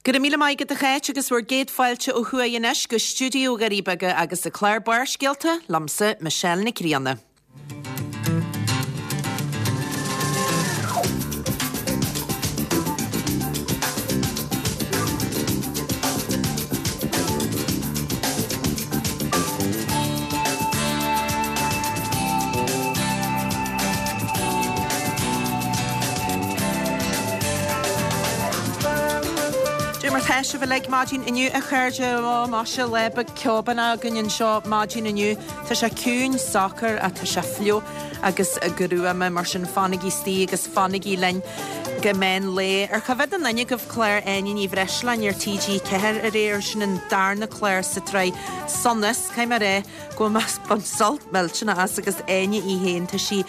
Go raibh míle maith agat a Cháit agus bhur gcéad fáilte ó thuaidh anois go stiúideo Dhoirí Beaga agus an clár Barrscéalta liomsa Michelle Nic Grianna. Cad é mar tá sibh uilig maidin inniu a chairde? Ó, maise, lá beag ceobánach againn anseo maidin inniu. Tá sé ciúin, socair ach tá sé fliuch agus gruama, mar sin fanaigí istigh agus fanaigí linn go meán lae. Ar choimhéad aon duine agaibh clár Áine Ní Bhreisleáin ar TG4 aréir? Sin an darna clár sa tsraith Sonas, caithfidh mé a rá go bhfuil mé ag baint sult millteanach as agus Áine í féin, tá sí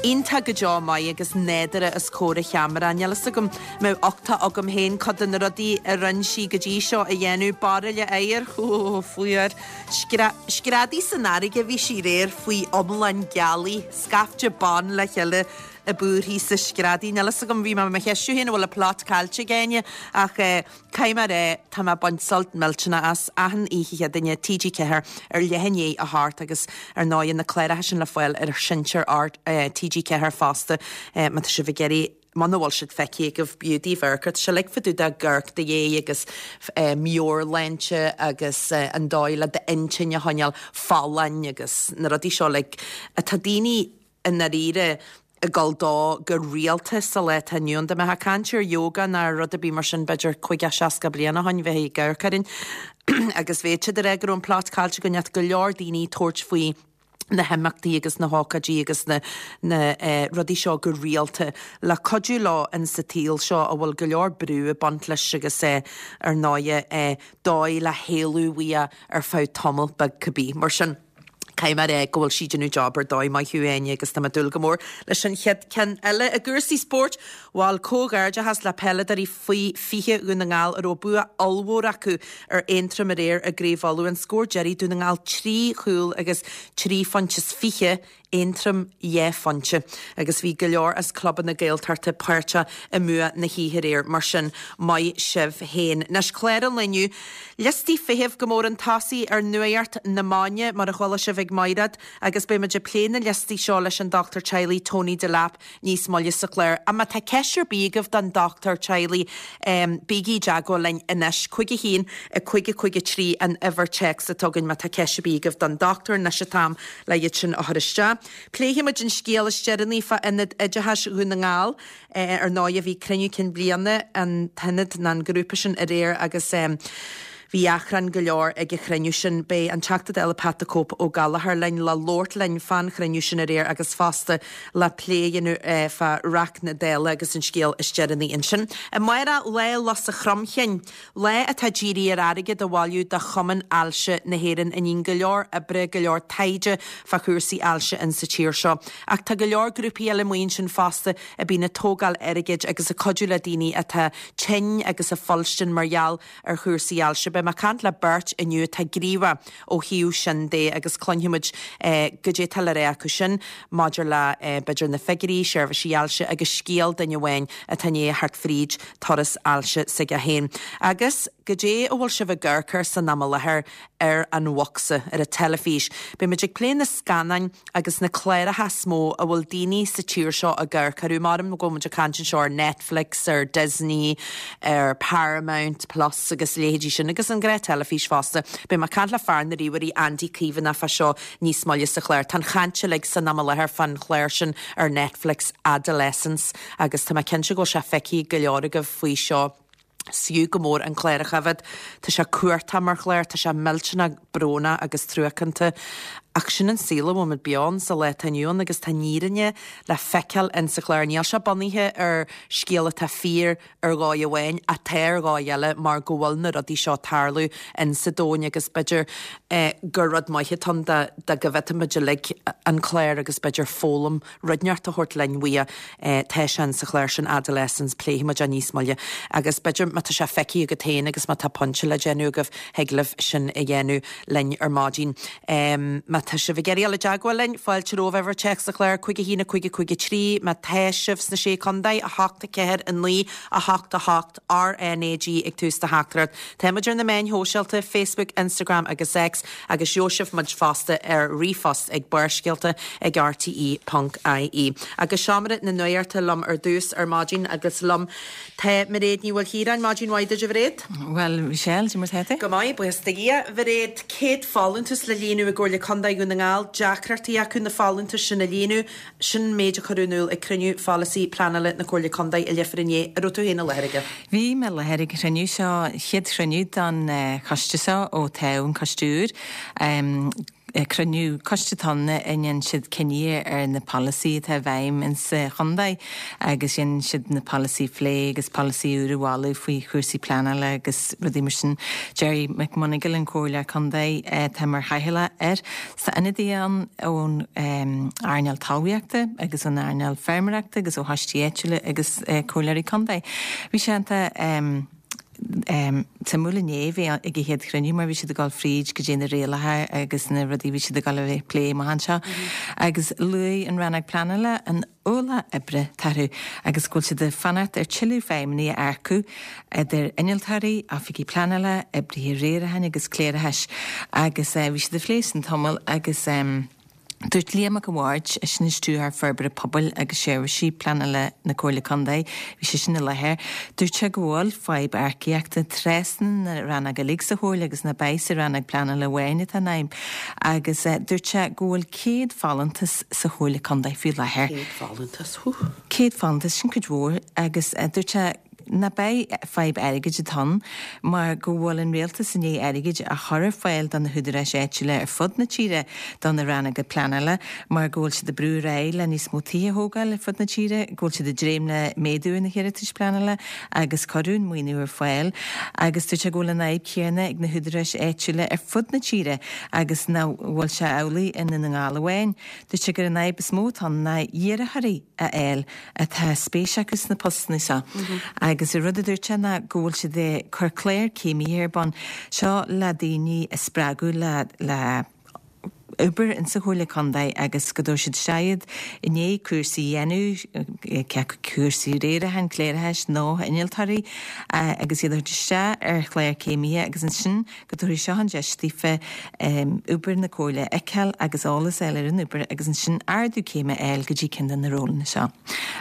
iontach go deo maith agus nádúrtha os comhair an cheamara. Níl fhios agam an mbeadh uchtach agam féin cuid de na rudaí a rinne sí go dtí seo a dhéanamh, bairille oighir, hó, fuar, screadaí san fharraige bhí sí aréir faoi iomlán gealaí, scaifte ban le chéile ag búirthigh 's ag screadaí. Níl fhios agam, bhí mé mo cheistiú féin an bhfuil an plot caillte ag Áine ach eh, Caithfidh mé a rá, tá mé ag baint sult millteanach as, achan oíche Chéadaoine, TG4 ar leath i ndiaidh a hocht agus ar ndóigh na cláracha sin le fáil ar sheinnteoir TG4 fosta má tá sibh ag iarraidh, muna bhfuil siad feicthe agaibh, b'fhiú daoibh amharc air. Tá sé uilig fá dtaobh de amharc do dhéidh agus meabhairshláinte agus an dóigh le d'intinn a choinneáil folláin agus na rudaí seo uilig atá daoine i ndáiríre ag dul dó go rialta sa lá atá inniu ann. Dá mbeifeá ag caint ar yoga nó ar rud ar bith mar sin b'fhéidir 50, 60 bliain ó shoin bheifí ag amharc orainn agus bheadh siad ag rá go raibh an plot caillte go mbeadh go leor daoine ag tabhairt faoi na himeachtaí agus na hócáidí agus na na rudaí seo go rialta le cuidiú leo in sa tsaol seo a bhfuil go leor brú ag baint leis agus ar ndóighe dóigh le héalú uaidh ar feadh tamall beag cibé. Mar sin. Caithfidh mé a rá go bhfuil sí ag déanamh job ar dóigh, maith thú Áine agus tá mé ag dúil go mór leis an chéad ceann eile. I gcúrsaí spóirt, bhuel, comhghairdeachas le peileadóirí faoi 20 Dhún na nGall a raibh bua ollmhór acu ar Aontroim aréir i gCraobh Uladh. An scór deiridh, Dún na nGall 3 chúl agus 3 phointe is 20. Aontroim 2 phointe agus bhí go leor as clubanna Gaeltachta páirteach i mbua na hoíche aréir, mar sin maith sibh féin. Anois clár an lae inniu, liostaí feithimh go mór chun tosaigh ar nuacht na maidine, mar a chuala sibh ag Maighread, agus beidh muid ag plé na liostaí seo leis an dochtúir teaghlaigh Tony Delap níos moille sa chlár. Ach má tá ceist ar bith agaibh don dochtúir teaghlaigh, bígí i dteagmháil linn anois, 5 1 5 5 3 an uimhir téacs atá againn má tá ceist ar bith agaibh don dochtúir, anois an t-am le iad sin a chur isteach. Pléifidh muid an scéal is deireanaí fá Ionad Oideachais Dhún na nGall. Ar ndóighe bhí cruinniú cinn bliana an t-ionad nó an grúpa sin aréir agus bhí achrann go leor ag an chruinniú sin. Beidh an Teachta Dála Pat the Cope Ó Gallchóir linn le labhairt linn fán chruinniú sin aréir agus fosta le plé a dhéanamh fá reacht na Dála agus an scéal is deireanaí ansin. Amárach Lá Lus an Chromchinn. Lá atá dírithe ar airgead a bhailiú do Chumann Ailse na hÉireann a níonn go leor oibre, go leor taighde fá chúrsaí ailse in sa tír seo. Ach tá go leor grúpaí eile amuigh ansin fosta a bíonn ag tógáil airgid agus ag cuidiú le daoine atá tinn agus ag fuilstin mar gheall ar chúrsaí ailse. Beidh mé ag caint le beirt inniu atá gníomhach ó thaobh sin de agus cluinfidh muid goidé atá le rá acu sin maidir le b'fhéidir na figiúirí, seirbhísí ailse agus scéal duine amháin atá i ndiaidh theacht fríd turas ailse s'aige féin. Agus goidé a bhfuil sibh ag amharc air san am i láthair ar an bhocsa, ar an teilifís. Beidh muid ag plé na scannáin agus na cláracha is mó a bhfuil daoine sa tír seo ag amharc orthu. Maram go bhfuil muid ag caint anseo ar Netflix, ar Disney, ar Paramount Plus agus a leithéidí sin, agus an ghnáth teilifís fosta. Beidh mé ag caint le fear na ríomhairí, Andy Caomhánach fá seo níos moille sa chlár. Tá an chaint uilig san am i láthair fán chlár sin ar Netflix, Adolescence, agus tá mé cinnte go bhfuil sé feicthe ag go leor agaibh faoi seo. Is fiú go mór an clár a choimhéad. Tá sé cumhachtach mar chlár, tá sé millteanach brónach agus truacánta. Ach sin an saol a bhfuil muid beo ann sa lá atá inniu ann agus tá an fhírinne le feiceáil in sa chlár. Níl sé bunaithe ar scéal atá fíor ar dhóigh amháin ach tá ar dhóigh eile mar go bhfuil na rudaí seo ag tarlú in sa domhain agus b'fhéidir gur rud maith atá ann dá go bhféadfadh muid uilig an clár agus b'fhéidir foghlaim rud inteacht a thabhairt linn uaidh. Tá sé in sa chlár sin Adolescence, pléifidh muid é níos moille. Agus b'fhéidir má tá sé feicthe agat féin agus má tá pointe le déanamh agaibh, thig libh sin a dhéanamh linn ar maidin. Má. tá sibh ag iarraidh dul i dteagmháil linn, fáilte romhaibh, uimhir téacs an chláir 5 1 5 5 3, má tá sibh sna Sé Contae, 8 4 9 8 8 RNAG ag tús do theachtaireacht. Tá muid ar na meáin shóisialta, Facebook, Instagram agus X, agus gheobhaidh sibh muid fosta ar ríomhphost ag Barrscéalta ag rte ponc ie. Agus seomra na nuachta liom ar dtús ar maidin agus liom tá Mairéad Ní Mhaoilchiaráin. Maidin mhaith duit a Mhairéad. Bhuel, Michelle, cad é mar tá tú? Go maith, buíochas do Dhia. Mhairéad, 100 folúntas le líonadh i gComhairle Contae Dhún na nGall, deacrachtaí acu na folúntais sin a líonadh. Sin an méid a cuireadh in iúl ag cruinniú pholasaí pleanála na Comhairle Contae i Leifear inné. An raibh tú féin i láthair aige? Bhí mé i láthair ag an chruinniú seo, chéad chruinniú don choiste seo ó toghadh an coiste úr. Cruinniú coiste atá ann a ndéanann siad cinní ar na polasaí atá i bhfeidhm in sa chontae agus dhéanann siad na polasaí a phlé agus polasaí úr a mholadh faoi chúrsaí pleanála agus rudaí mar sin. Gerry McMonagall an comhairleoir contae atá mar chathaoirleach air. Tá ionadaithe ann ón earnáil talmhaíochta agus ón earnáil feirmeoireachta agus ó choistí áitiúla agus comhairleoirí contae. Bhí sé iontach suimiúil inné a bheith ag an chéad chruinniú mar bhí siad ag dul fríd go dtí na rialacha agus na rudaí a bhí siad ag dul a bheith ag plé amach anseo. Agus luaigh an Rannóg Pleanála an ualach oibre atá orthu agus go bhfuil siad ag fanacht ar tuilleadh feidhmeannaigh a earcú, idir innealtóirí, oifigigh pleanála, oibrithe riaracháin agus cléireachais agus bhí siad ag plé sin tamall agus dúirt Liam Mac a' Bhaird, sin Stiúrthóir Forbartha Pobail agus Seirbhísí Pleanála na Comhairle Contae, bhí seisean i láthair, dúirt sé go bhfuil fadhb earcaíochta trasna na rannóg uilig sa Chomhairle agus nach é sa rannóg pleanála amháin atá an fhadhb agus dúirt sé go bhfuil 100 folúntas sa Chomhairle Contae faoi láthair. 100 folúntas, hú. 100 folúntas, sin cuid mhór agus dúirt sé nach é fadhb airgid atá ann mar go bhfuil an rialtas i ndiaidh airgid a chur ar fáil do na húdaráis áitiúla ar fud na tíre do na rannóga pleanála mar go bhfuil siad ag brú ar aghaidh le níos mó tithe a thógáil ar fud na tíre, go bhfuil siad ag dréim le méadú ar na hiarratais pleanála agus cuireadh an maoiniú ar fáil agus dúirt sé go bhfuil an fhadhb chéanna ag na húdaráis áitiúla ar fud na tíre agus nach bhfuil sé amhlaidh i nDún na nGall amháin. Dúirt sé gur an fhadhb is mó atá ann ná iarrthóirí a fháil atá spéis acu sna postanna seo agus an rud a dúirt sé ná go bhfuil siad ag cur clár céimithe ar bun, seo le daoine a spreagadh le le obair insa Chomhairle Contae agus go dtabharfaidh siad isteach iad i ndiaidh cúrsaí a dhéanamh, cé acu cúrsaí riaracháin, cléireachais nó innealtóirí agus iad a thabhairt isteach ar chlár céimithe agus ansin go dtabharfaidh seo an deis daofa obair na Comhairle a fheiceáil agus eolas a fháil ar an obair agus ansin ardú céime a fháil go dtí ceann de na rólanna seo.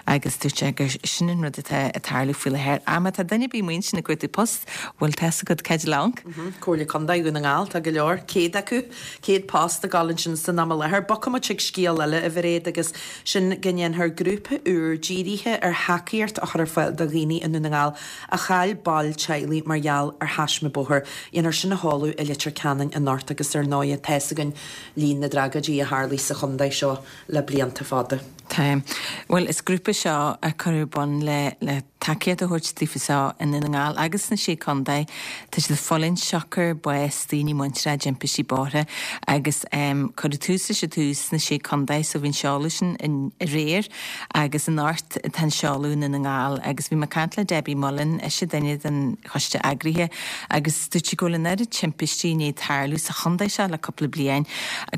Agus dúirt sé gur sin an rud atá ag tarlú faoi láthair. Ach má tá duine ar bith amuigh ansin ag cuartú post, bhuel tá's agat cá dtig leat amharc. Comhairle Contae Dhún na nGall, tá go leor, 100 acu, 100 post ag dul ansin san am i láthair. Bogfaidh muid chuig scéal eile, a Mhairéad, agus sin go ndéanfar grúpa úr dírithe ar thacaíocht a chur ar fáil do dhaoine i nDún na nGall a chaill baill teaghlaigh mar gheall ar thaisme bóthair. Dhéanfar sin a sheoladh i Leitir Ceanainn anocht agus ar ndóighe tá's againn líon na dtragóidí a tharlaigh sa chontae seo le blianta fada. Tá. Bhuel, is grúpa seo a cuireadh ar bun le le tacaíocht a thabhairt daofa seo i nDún na nGall agus sna Sé Contae. Tá siad ag fulaingt siocair bás daoine muinteartha i dtimpistí bóithre agus cuireadh tús leis ar dtús sna Sé Contae so bhí an seoladh sin aréir. Agus anocht tá an seoladh i nDún na nGall agus bhí mé ag caint le Debbie Mullen, ise duine den choiste eagraithe, agus dúirt sí go bhfuil an oiread timpistí i ndiaidh tarlú sa chontae seo le cúpla bliain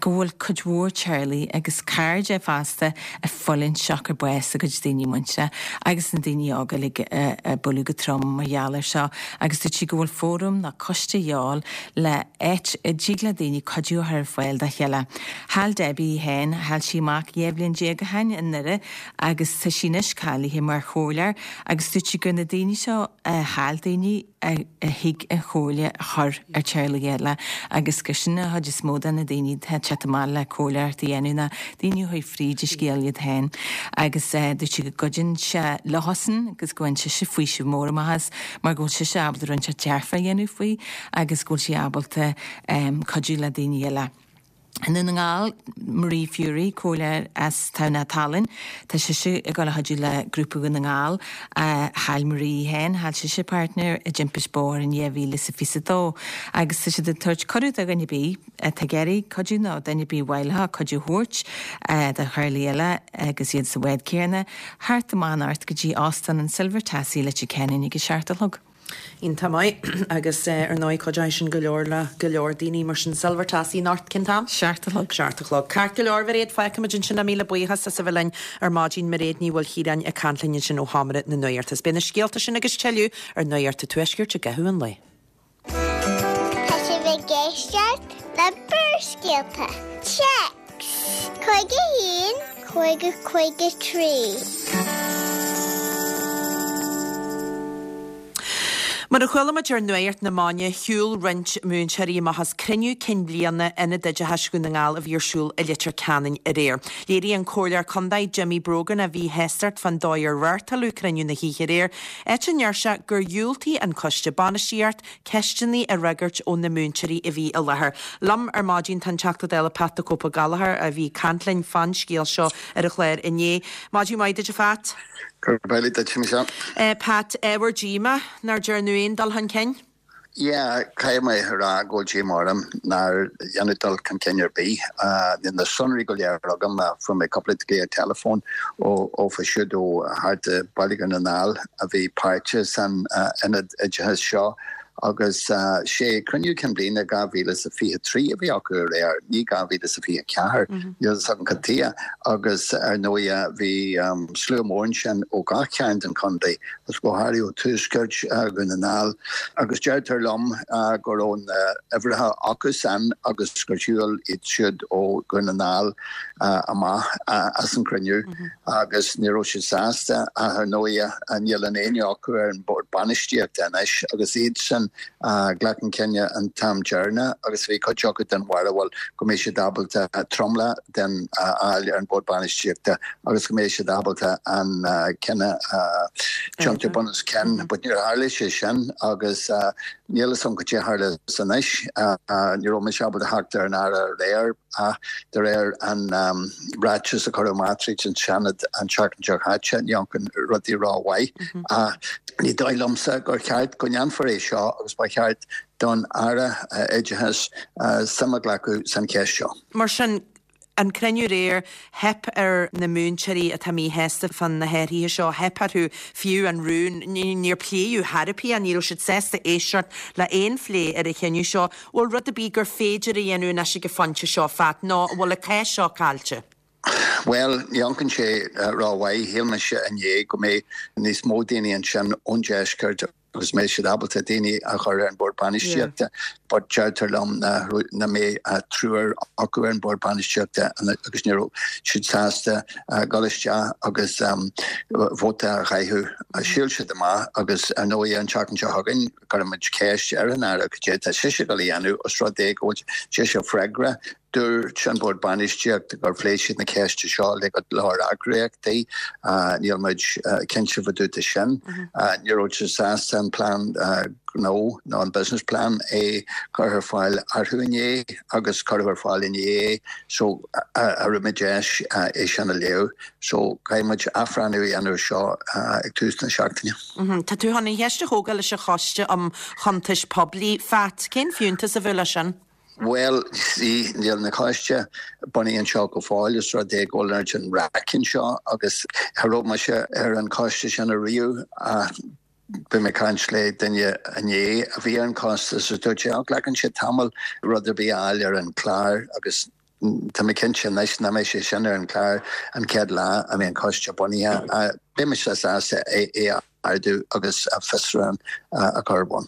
go bhfuil cuid mhór teaghlaigh agus cairde fosta ag fulaingt siocair bás a gcuid daoine muinteartha agus na daoine óga uilig a buaileadh go trom mar gheall air seo agus dúirt sí go bhfuil fóram nó coiste a dhíobháil le áit a dtig le daoine cuidiú a chur ar fáil dá chéile. Chaill Debbie í féin, chaill sí a mac 12 bhliain ó shin i nDoire agus tá sí anois cáilithe mar chomhairleoir agus dúirt sí gur na daoine seo a chaill daoine a thig an chomhairle a chur ar teaghlaigh eile agus gur sin an chuid is mó de na daoine atá ag teacht amach le comhairleoireacht a dhéanamh ná daoine a chuaigh fríd an scéal iad féin agus dúirt sí go gcuidíonn sé leosan agus go bhfaigheann sise faoiseamh mór amach as mar go bhfuil sise ábalta rud inteacht dearfach a dhéanamh faoi agus go bhfuil sí ábalta cuidiú le daoine eile. I nDún na nGall, Marie Furey, comhairleoir as Tamhnach Tallann, tá sise ag dul a chuidiú le Grúpa Dhún na nGall. Chaill Marie í féin, chaill sise a páirtnéir i dtimpist bóthair in 2022 agus tá siad ag tabhairt cuireadh do dhuine ar bith atá ag iarraidh cuidiú nó duine ar bith ar mhaith leo cuidiú a thabhairt do theaghlaigh eile agus iad sa bhád céanna, theacht amach anocht go dtí Óstán an Silver Tassie i Leitir Ceanainn ag a 7 a chlog. Iontach maith. Agus ar ndóigh cuideoidh sin go leor le go leor daoine mar sin. Silver Tassie anocht, cén t-am? 7 a chlog. 7 a chlog. Ceart go leor, a Mhairéad, fágfaimid ansin é. Míle buíochas as a bheith linn ar maidin. Mairéad Ní Mhaoilchiaráin ag caint linn ansin ó Sheomra na Nuachta. Is beidh na scéalta sin agus tuilleadh ar Nuacht an Tuaiscirt i gcaitheamh an lae. Tá sibh ag éisteacht le Barrscéalta. Téacs 51 50 53. Mar a chuala muid ar Nuacht na Maidine, shiúil roinnt múinteoirí amach as cruinniú cinn bliana Ionad Oideachais Dhún na nGall a bhí ar siúl i Leitir Ceanainn aréir. Léirigh an Comhairleoir Contae Jimmy Brogan a mhíshástacht fán dóigh ar reáchtáladh cruinniú na hoíche aréir, áit a ndeir sé gur dhiúltaigh an coiste bainistíocht ceisteanna a fhreagairt ó na múinteoirí a bhí i láthair. Liom ar maidin tá an Teachta Dála Pat the Cope Gallagher a bhí ag caint linn fán scéal seo ar an chlár inné. Maidin mhaith duit a Phat. Gurb amhlaidh duit, Michelle. Pat, ábhar díomá nár déarnadh aon dul chun cinn? Yeah, caithfidh mé a rá go bhfuil díomá orm nár dhéanadh dul chun cinn ar bith. Níl na sonraí go léir agam, fuair mé cúpla glaoch teileafóin ófa siúd ó thart i Baile Dhún na nGall a bhí páirteach san ionad oideachais seo agus sé cruinniú cinn bliana 2023 a bhí acu aréir, ní 2024, níl a fhios agam cad tuighe, agus ar ndóighe bhí slua mór ansin ó gach cearn den chontae. agus go háirithe ó tuaisceart Dhún na nGall, agus deirtear liom go raibh na huimhreacha acusan agus gur shiúil iad siúd ó Dhún na nGall amach as an chruinniú agus ní raibh siad sásta ach ar ndóighe níl aon éinne acu ar an bhord bainistíochta anois agus iadsan a ghlac an cinneadh an t-am deireanach agus bhí cuid acu den bharúil go mbeidh siad ábalta tromlach den a fháil ar an bhord bainistíochta agus go mbeidh siad ábalta an cinneadh a thiontú bun os cionn. But níor tharla sé sin agus níl a fhios agam cad é a tharla anois. Ní raibh mise ábalta theacht ar an Aire aréir ach de réir an ráiteas a cuireadh amach tríd an Seanad an tseachtain seo chaite, ní amharcann rudaí rómhaith. Ach ní dóigh liomsa gur cheart go ndéanfar é seo agus ba cheart don Aire Oideachais suim a ghlacadh san cheist seo. Mar sin, an cruinniú aréir, theip ar na múinteoirí atá míshásta fá na hathruithe seo, theip orthu fiú an rún, níor pléadh chor ar bith, ní raibh siad sásta éisteacht le haon phlé ar an chinneadh seo. Bhfuil rud ar bith gur féidir a dhéanamh anois ag an phointe seo, Phat, nó an bhfuil an cás seo caillte? Bhuel, ní amharcann sé rómhaith. Shíl mise inné go mbeidh níos mó daoine ansin ón deisceart agus mbeidh siad ábalta daoine a chur ar an bhord bainistíochta but deirtear liom nach mbeidh ach triúr acu ar an bhord bainistíochta agus ní raibh siad sásta dul isteach agus vóta a chaitheamh. Shiúil siad amach agus ar ndóigh an tseachtain seo chugainn cuirfimid ceist ar an Aire cad é atá sise ag dul a dhéanamh os rud é go bhfuil sise freagrach Dúirt an Bord Bainistíochta gur phléigh siad na ceiste seo le go leor eagraíochtaí. Níl muid cinnte fá dtaobh de sin. Ní raibh siad sásta an plean gnó nó an business plan a chur ar fáil orthu inné agus cuireadh ar fáil inné é so cha raibh muid deis é sin a léamh. So caithfidh muid athbhreithniú a dhéanamh seo ag tús na seachtaine. Tá tú chun an cheist a thógáil leis an Choiste um Chuntais Poiblí, Phat. Cén fiúntas a bheadh leis sin? Bhuel, see, níl na coiste bunaithe anseo go fóill, os rud é go bhfuil an oiread sin raic anseo agus cha raibh mise ar an choiste sin ariamh ach bhí mé ag caint le duine inné a bhí ar an choiste agus dúirt sé, oh, glacann sé tamall rud ar bith a fháil ar an chlár agus tá mé cinnte anois nach mbeidh sé sin ar an chlár an chéad lá a mbeidh an coiste bunaithe. Beidh mise sásta é a ardú agus fiosrúchán a chur ar bun.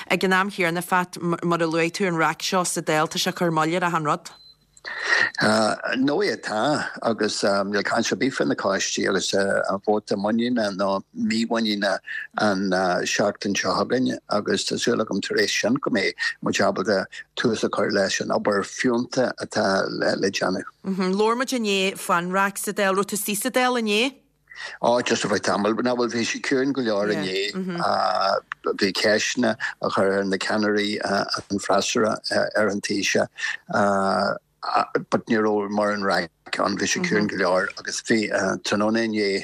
Ag an am chéanna, Phat, mar a luaigh tú, an raic seo sa Dáil, tá sé ag cur moill ar achan rud. Ndóigh tá, agus níl caint ar bith faoi na coistí agus an vóta muiníne nó mímhuiníne an seachtain seo chugainn agus tá súil agam tar éis sin go mbeidh muid ábalta tús a chur leis an obair fiúntach atá le déanamh. Labhair muid inné fán raic sa Dáil. Raibh tú istigh sa Dáil inné? Ó, just ar feadh tamaill. Ná bhuel, bhí sé ciúin go leor inné. Bhí ceisteanna á chur ar na ceannairí, an freasúra ar an Taoiseach, but ní raibh mórán raic ann, bhí sé ciúin go leor agus bhí tráthnóna inné,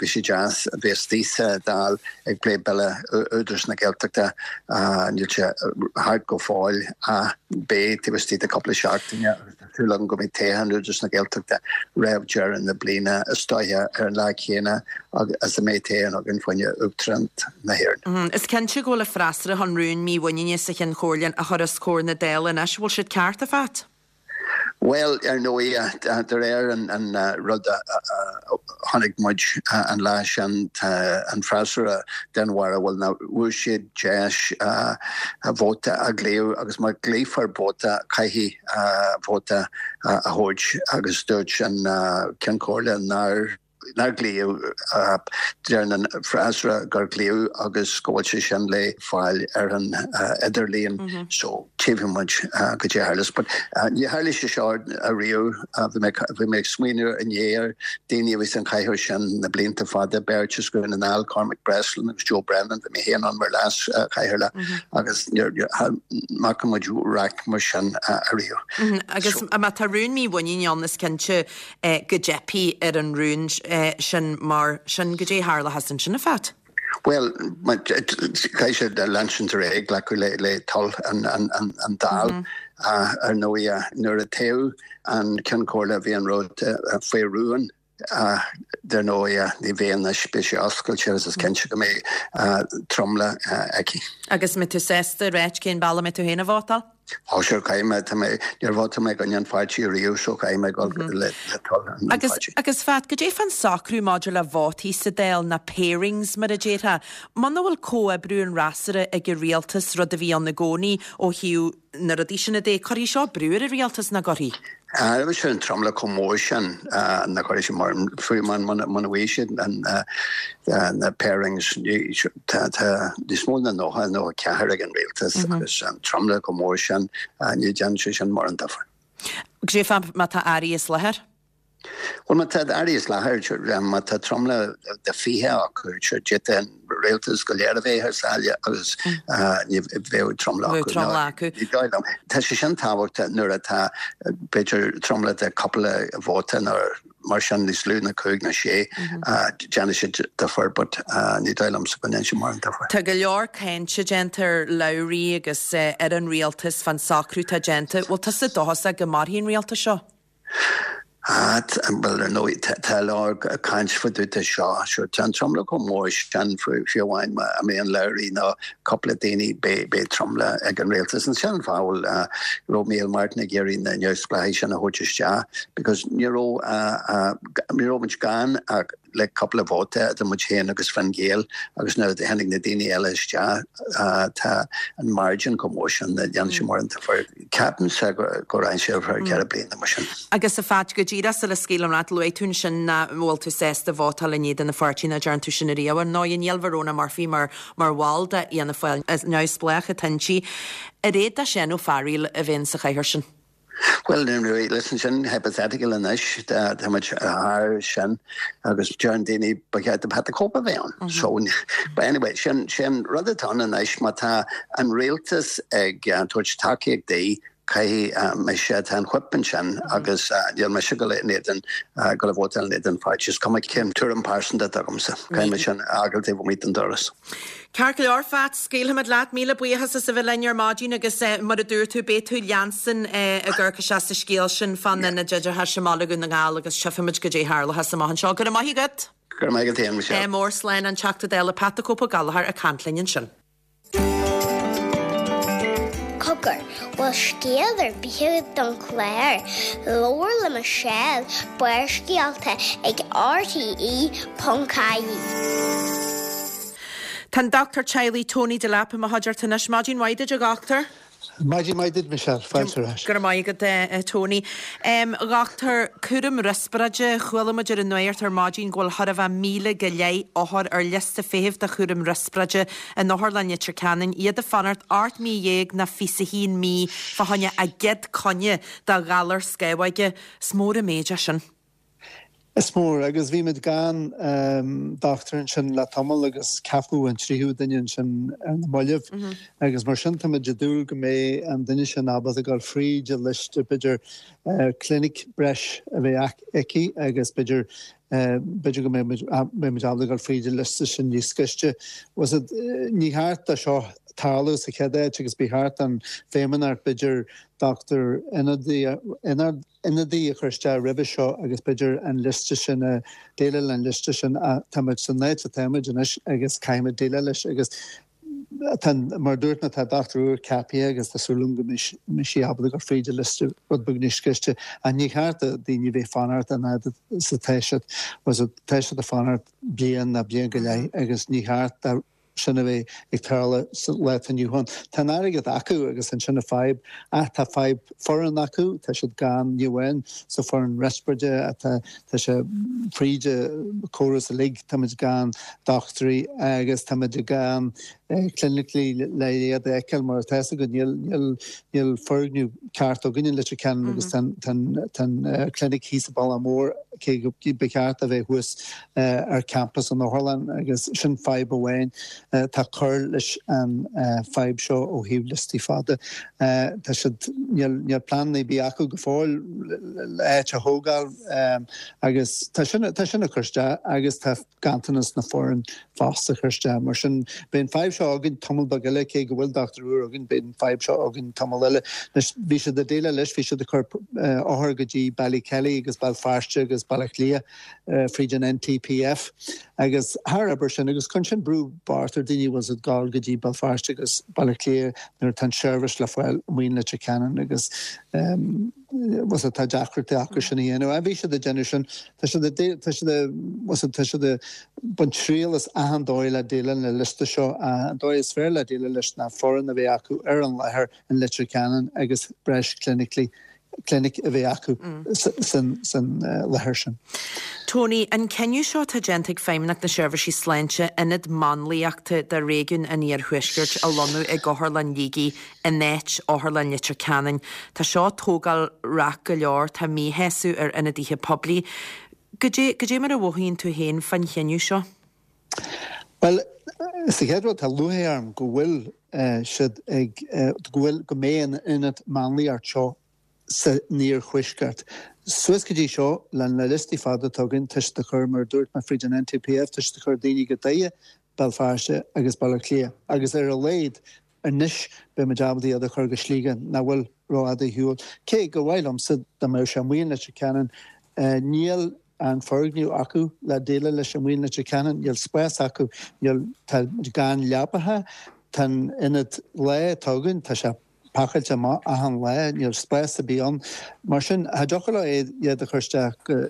bhí sé deas, bhí istigh sa Dáil ag plé bille Údarás na Gaeltachta, níl sé thart go fóill ach beidh taobh istigh de cúpla seachtaine. súil agam go mbeidh toghchán Údarás na Gaeltachta roimh deireadh na bliana, is dóiche ar an lá céanna is a mbeidh toghchán againn fá choinne Uachtaránacht na hÉireann. Is cinnte go bhfuil an freasúra chun rún mímhuiníne sa Chinn Chomhairle a chur os comhair na Dála anois. Bhfuil siad ceart, a Phat? Bhuel, ar ndóigh, de réir an rud a chonaic muid an lá sin, tá an freasúra den bharúil nach bhfuair siad deis vóta a ghlaoch agus má ghlaofar vóta, caithfidh vóta a thabhairt agus dúirt an Ceann Comhairle nár nár glaodh, deir an freasúra gur glaodh agus go bhfuil sé sin le fáil ar an idirlíon so tchífidh muid goidé a tharlós. But ní tharla sé seo ariamh, bhí mé bhí mé ag smaoineamh inné ar daoine a bhí san chathaoir sin na blianta fada, beirt as Dhún na nGall, Cormac Breslin agus Joe Brennan, bhí mé féin ann mar leas chathaoirleach agus ní fhaca muid raic mar sin ariamh. Agus má tá rún mímhuiníne ann is cinnte go dteipfidh ar an rún sin mar sin goidé a tharlóchas ansin, a Phat? Bhuel, caithfidh siad leanstan ar aghaidh, glacadh le toil an Dáil. Ar ndóigh, nuair a toghadh an Ceann Comhairle bhí an rud faoi rún. Dar ndóigh, ní bheidh anois, beidh sé oscailte agus is cinnte go mbeidh tromlach aici. Agus an mbeidh tú sásta a ráit cén bealach a mbeidh tú féin ag vótáil? Ó sure, caithfidh mé, tá mé, níor vótáil mé i gcoinne an pháirtí riamh so caithfidh mé dul le toil an Agus, pháirtí. agus Phat, goidé fán socrú maidir le vótaí sa Dáil, na pairings mar a déarfá, muna bhfuil comhoibriú an fhreasúra ag an rialtas, rud a bhí ann i gcónaí ó thaobh na rudaí sin de, cuirfidh seo brú ar an rialtas, nach gcuirfidh? Agus an tromlach chomh mór sin nach gcuirfidh sé mar, fiú muna bhfaighidh siad na pairings, tá níos mó ná 90, 94 ag an rialtas agus an tromlach chomh mór sin, ní dhéanann sé sin mórán difear. Goidé fá má tá airí as láthair? Bhuel, má tá airí as láthair, má tá tromlach de 20 acu, d'fhéadfadh an rialtas go léir a bheith thar sáile agus ní bheadh tromlach acu. Tromlach acu. Ní dóigh liom. Tá sé sin tábhachtach nuair atá, b'fhéidir, tromlach de cúpla vóta nó mar sin níos lú ná cúig nó sé, déanfaidh sé difear but ní dóigh liomsa go ndéanfaidh sé mórán difear. Tá go leor cainte déanta ar Lowry agus ar an rialtas fán socrú atá déanta. Bhfuil tusa dóchasach go mairfidh an rialtas seo? Ah, bhuel, ar ndóigh, tá a lán caint fá dtaobh de seo. Sure, tá an tromlach chomh mór sin, fiú amháin má imíonn Lowry nó cúpla daoine, beidh tromlach ag an rialtas. And sin an fáth a bhfuil, raibh Micheál Martin ag iarraidh na neamhspleáchaigh sin a thabhairt isteach, because ní raibh, ní raibh muid gann ach le cúpla vóta idir muid féin agus Fine Gael agus nuair a tháinig na daoine eile isteach, tá an margin chomh mór sin, ní dhéanfaidh sé mórán difear. Ceapaimse go rachaidh sé ar feadh 4 bliana mar sin. Agus a Phat, go díreach sula scaoilim leat, luaigh tú ansin nach bhfuil tú sásta vótáil in éadan an pháirtí, nach dtearn tú sin ariamh. Ar ndóigh, níl Verona Murphy mar mar bhall de Fhianna Fáil, is neamhspleách atá inti. Ar fhéad do Seán Ó Fearghaíl a bheith insa chathaoir sin? Bhuel, listen, sin hypothetical anois, tá muid thar sin agus deireann daoine ba cheart do Pat the Cope a bheith ann. So, but anyway, sin sin rud atá ann anois, má tá an rialtas ag tabhairt tacaíocht di, caithfidh mise, tá an whip ansin agus níl mise ag dul in éadan, ag dul a vótáil in éadan an pháirtí, is cuma cén tuairim pearsanta atá agamsa, caithfidh mé sin a fhágáil taobh amuigh den doras. Ceart go leor, Phat, scaoilfimid leat. Míle buíochas as a bheith linn ar maidin agus mar a dúirt tú, beidh tú leanstan ag amharc isteach sa scéal sin fán Ionad Oideachais i mBaile Dhún na nGall agus tchífimid goidé a tharlóchas amach anseo. Go raibh maith agat! Go raibh maith agat féin, Michelle. Ádh mór, slán, an Teachta Dála Pat the Cope Ó Gallchóir ag caint linn ansin. Cogar, bhfuil scéal ar bith agat don chlár? Labhair le Michelle, Barrscéalta ag RTÉ.ie. Tá an Dochtúir Teaghlaigh Tony Delap i mo chuideachta anois. Maidin mhaith duit, a Dhochtúir. Maidin mhaith duit, Michelle. Fáilte ar ais. Go raibh maith agat, a Tony. A Dhochtúir, cúram riospráide, chuala muid ar an nuacht ar maidin go bhfuil chóir a bheith 1,000 go leith othar ar liosta feithimh do chúram riospráide in Otharlann Leitir Ceanainn, iad ag fanacht 18 mí nó 21 mí fá choinne a gcéad coinne do ghalar scamhóige. Is mór an méid é sin. Is mór, agus bhí muid gan dochtúir ansin le tamall agus ceapadh an tríú duine ansin ar na mallaibh agus mar sin tá muid ag dúil go mbeidh an duine sin ábalta dul fríd an liosta, b'fhéidir clinic breis a bheith aici agus b'fhéidir. B'fhéidir go mbeidh muid ábalta dul fríd an liosta sin níos gaiste. Bhfuil a fhios agat, ní cheart do seo tarlú sa chéad áit agus ba cheart don Feidhmeannacht b'fhéidir dochtúir ionadaí a chur isteach roimhe seo agus b'fhéidir an liosta sin a déileáil an liosta sin ach táimid san áit atáimid anois agus caithfimid déileáil leis agus tá, mar a dúirt mé, tá dochtúir úr ceaptha agus tá súil agam go mbeidh sí ábalta dul fríd an liosta rud beag níos gaiste ach ní cheart do daoine bheith fanacht an fhad is atá siad, tá siad ag fanacht bliain nó bliain go leith agus ní cheart do sin a bheith ag tarlú sa lá atá inniu ann. Tá an airgead acu agus ansin an fadhb ach tá fadhb foireann acu, tá siad gann ní amháin sa foireann riospráide ach tá tá sé fríd an córas uilig, táimid gan dochtúirí agus táimid gan clinicigh le iad a fheiceáil mar atá fhios agat níl níl níl foirgneamh ceart againn in Leitir Ceanainn agus tá tá tá an clinic thíos sa Bhealach Mór cé go ba cheart a bheith thuas ar campas an otharlann agus sin fadhb amháin atá ag cur leis an fadhb seo ó thaobh liostaí fada. Tá siad, níl, níl plean ar bith acu go fóill le áit a thógáil agus tá sin, tá sin ag cur isteach agus tá ganntanas na foireann fosta ag cur isteach. Mar sin beidh an fadhb seo againn tamall beag eile cé go bhfuil dochtúir úr againn beidh an fadhb seo againn tamall eile. Anois bhí siad ag déileáil leis, bhí siad ag cur othair go dtí Ballykelly agus Béal Feirste agus Baile Átha Cliath fríd an NTPF agus thar obair sin agus cuireann sin brú bocht ar daoine a bhfuil ag gabháil go dtí Béal Feirste agus Baile Átha Cliath nuair atá an seirbhís le fáil amuigh in Leitir Ceanainn agus bhfuil tá deacrachtaí acu sin a dhéanamh. Bhí siad ag déanamh sin, tá siad ag tá siad ag bhfuil tá siad ag baint triail as achan dóigh le déileáil le liosta seo. An dóigh is fearr le déileáil leis ná foireann a bheith acu ar an láthair in Leitir Ceanainn agus breis clinicigh clinic a bheith acu san láthair sin. Tony, an cinneadh seo atá déanta ag Feidhmeannacht na Seirbhísí Sláinte ionad máinliachta do réigiún an Iarthuaiscirt a lonnú i gOtharlann Shligigh in áit Otharlann Leitir Ceanainn, tá seo ag tógáil raic go leor, tá míshásamh ar ionadaithe poiblí. Goidé, goidé mar a mhothaíonn tú féin fán chinneadh seo? Bhuel, sa chéad rud, tá lúcháir orm go bhfuil siad ag, go bhfuil, go mbeidh an ionad máinliacht seo san iarthuaisceart. Suas go dtí seo, le na liostaí fada atá againn, tá siad ag cur, mar a dúirt mé, fríd an NTPF, tá siad ag cur daoine go Doire, Béal Feirste agus Baile Átha Cliath agus ar a laghad anois beidh muid ábalta iad a chur go Sligeach nach bhfuil rófhada ar shiúl. Cé gur mhaith liomsa dá mbeadh sé amuigh in Leitir Ceanainn, níl an foirgneamh acu le déileáil leis amuigh in Leitir Ceanainn, níl spás acu, níl, tá gan leapacha, tá an ionad lae atá againn, tá sé pacáilte amach achan lá, níl spás ar bith ann. Mar sin, cha dtiocfadh leo iad a chur isteach go,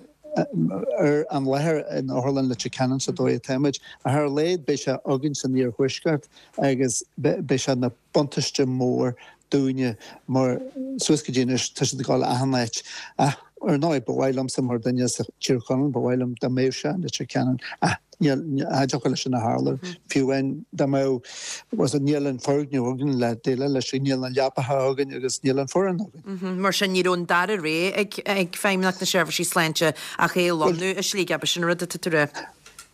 ar an láthair in Otharlann Leitir Ceanainn sa dóigh atáimid. Ach ar a laghad beidh sé againn san iarthuaisceart agus beidh sé ina buntáiste mór dúinne mar suas go dtí anois tá siad ag dul achan áit. Ach ar ndóigh ba mhaith liomsa mar duine as Tír Chonaill, ba mhaith liom dá mbeadh sé in Leitir Ceanainn ach níl, cha dtiocfadh leis sin a tharlú. Fiú amháin dá mbeadh, bhuel níl an foirgneamh againn le déileáil leis, níl na leapacha againn agus níl an foireann againn. Mar sin ní raibh an dara rogha ag Feidhmeannacht na Seirbhísí Sláinte ach é a lonnú i Sligeach, b'shin an rud atá tú a rá.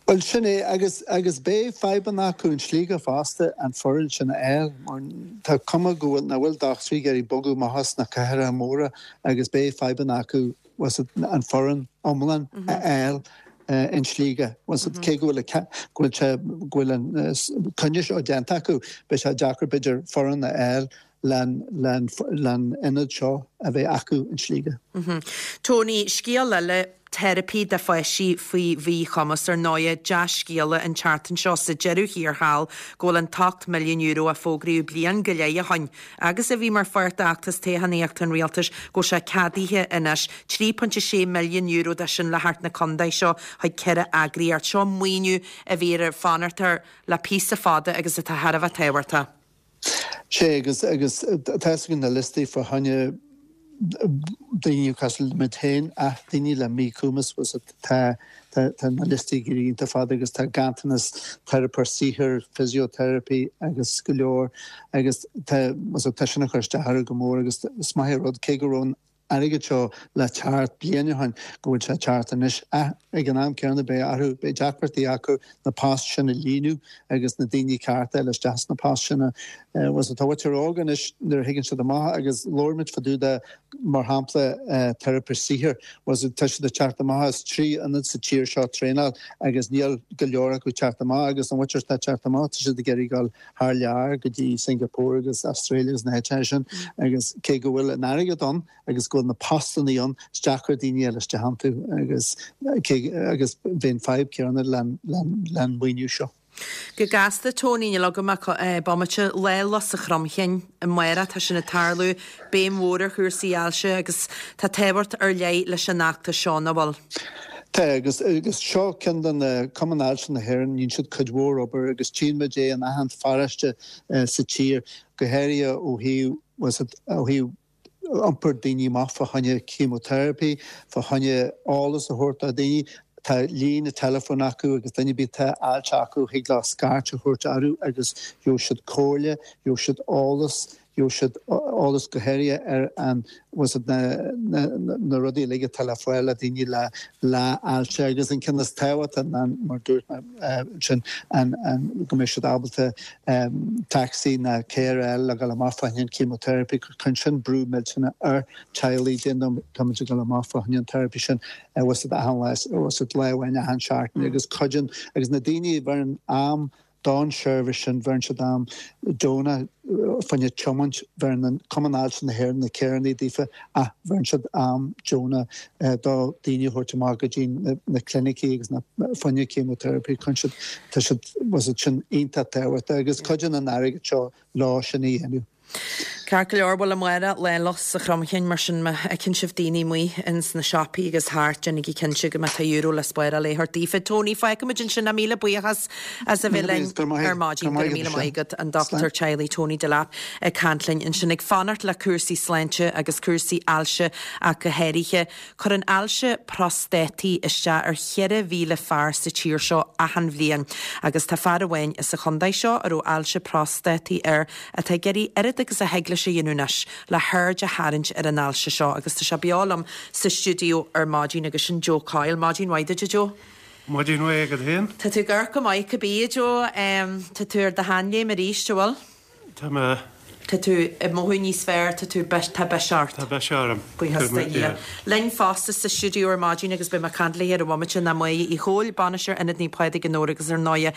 Bhuel, sin é, agus, agus beidh fadhbanna acu in Sligeach fosta an foireann sin a fháil, mar tá cuma go bhfuil, nach bhfuil dochtúirí ag iarraidh bogadh amach as na cathracha móra agus beidh fadhbanna acu, bhfuil a fhios agat, an foireann iomlán a fháil in Sligeach. Bhfuil a fhios agat, cé go bhfuil, go bhfuil sé, go bhfuil an coinne seo déanta acu, beidh sé deacair b'fhéidir foireann a fháil len ionad seo a bheith acu in Sligeach. Tony, scéal eile, teiripí do pháistí faoi mhíchumas. Ar ndóighe, dea-scéala an tseachtain seo sa deireadh thiar thall go bhfuil an t-€8 milliún a fógraíodh bliain go leith ó shoin agus a bhí mar pháirt d'fheachtas toghchánaíochta an rialtais, go bhfuil sé ceadaithe anois. €3.6 milliún de sin le theacht na contae seo chuig ceithre eagraíocht. Seo maoiniú a bhí ar fanacht air le píosa fada agus atá thar a bheith tábhachtach. Sea, agus, agus tá fhios againn na liostaí fá choinne daoine cosúil le muid féin ach daoine le míchumas, bhfuil a fhios agat, tá, tá, tá na liostaí ag éirí iontach fada agus tá ganntanas teiripeoir saothair, physiotherapy agus go leor agus tá, bhfuil a fhios agat, tá sin ag cur isteach orthu go mór agus is maith an rud cé go raibh an. airgead seo le teacht bliain ó shin, go bhfuil sé ag teacht anois. Ach ag an am céanna beidh orthu, beidh deacrachtaí acu na poist sin a líonadh agus na daoine cearta a fháil isteach sna poist sin. Bhuel tá muintir óg anois nuair a thigeann siad amach agus labhair muid fá dtaobh de mar shampla teiripist saothair, bhuel tá siad ag teacht amach as 3 ionad sa tír seo traenáil agus níl go leor acu ag teacht amach agus an mhuintir atá ag teacht amach tá siad ag iarraidh dul thar lear go dtí Singapore agus Australia agus na háiteacha sin agus cé go bhfuil an airgead ann agus go bhfuil na postannaí ann is deacair daoine a fháil isteach iontu agus cé agus bheidh an fadhb céanna len maoiniú seo. Go gasta, Tony, níl agam ach bomaite. Lá Lus a Chromchinn amárach, tá sin ag tarlú, béim mhór ar chúrsaí ailse agus tá tábhacht ar leith leis an fheachtas seo, nach bhfuil? Tá, agus agus seo ceann de na Cumann Ailse na hÉireann, dhéanann siad cuid mhór obair agus tchíonn muid é in achan pharóiste sa tír, go háirithe ó thaobh, ó thaobh iompar daoine amach fá choinne chemotherapy, fá choinne eolas a thabhairt do dhaoine. Tá líne teileafóin acu agus duine ar bith atá ailse acu thig leo scairt a thabhairt orthu agus gheobhaidh siad comhairle, gheobhaidh siad eolas, gheobhaidh siad eolas go háirithe ar an bhfuil siad na na na rudaí uilig atá le fáil le daoine le le ailse agus an ceann is tábhachtaí ná mar dúirt mé ansin an an go mbeidh siad ábalta tacsaí ná carr a fháil le dhul amach fá choinne an chemotherapy cuireann sin brú millteanach ar teaghlaigh déan táimid ag dul amach fá choinne an therapy sin bhfuil siad achan lá bhfuil siad lá amháin achan seachtain agus cuidíonn agus na daoine a bheireann am don seirbhís sin, bheireann siad am deonach fá choinne tiomáint, bheireann an Cumann Ailse na hÉireann na carrannaí daofa ach bheireann siad am deonach do daoine a thabhairt amach go dtí na clinicí agus na fá choinne chemotherapy, cuireann siad, tá siad, bhfuil siad sin iontach tábhachtach agus cuidíonn an airgead seo leo sin a dhéanamh. Ceart go leor, bhuel amárach Lá Lus a Chromchinn, mar sin má fheiceann sibh daoine amuigh ins na siopaí agus thart, déanaigí cinnte go mbeadh tá euro le spáráil a thabhairt daofa. Tony, fágfaimid ansin é, míle buíochas as a bheith linn ar maidin. Go raibh míle maith agat, an Dochtúir Teaghlaigh Tony Delap ag caint linn ansin, ag fanacht le cúrsaí sláinte agus cúrsaí ailse ach go háirithe. Cuireann ailse próstataí isteach ar 4,000 fear sa tír seo achan bhliain agus tá fear amháin sa chontae seo a raibh ailse próstataí air atá ag iarraidh oiread agus a thig leis a dhéanamh anois le haird a tharraingt ar an ailse seo agus tá sé beo liom sa stiúideo ar maidin agus sin Joe Coyle. Maidin mhaith duit a Joe. Maidin mhaith agat féin. Tá tú ag amharc go maith cibé a Joe. Tá tú ar do sheanléim arís, an bhfuil? Tá mé. Tá tú ag mothú níos fearr, tá tú, tá biseach ort. Tá biseach orm. Buíochas do Dhia. Linn fosta sa stiúideo ar maidin agus beidh mé ag caint léi ar an bhomaite ná Máire Uí Chomhaill, Bainisteoir Ionad Naomh Pádraig i nDobhar agus ar ndóighe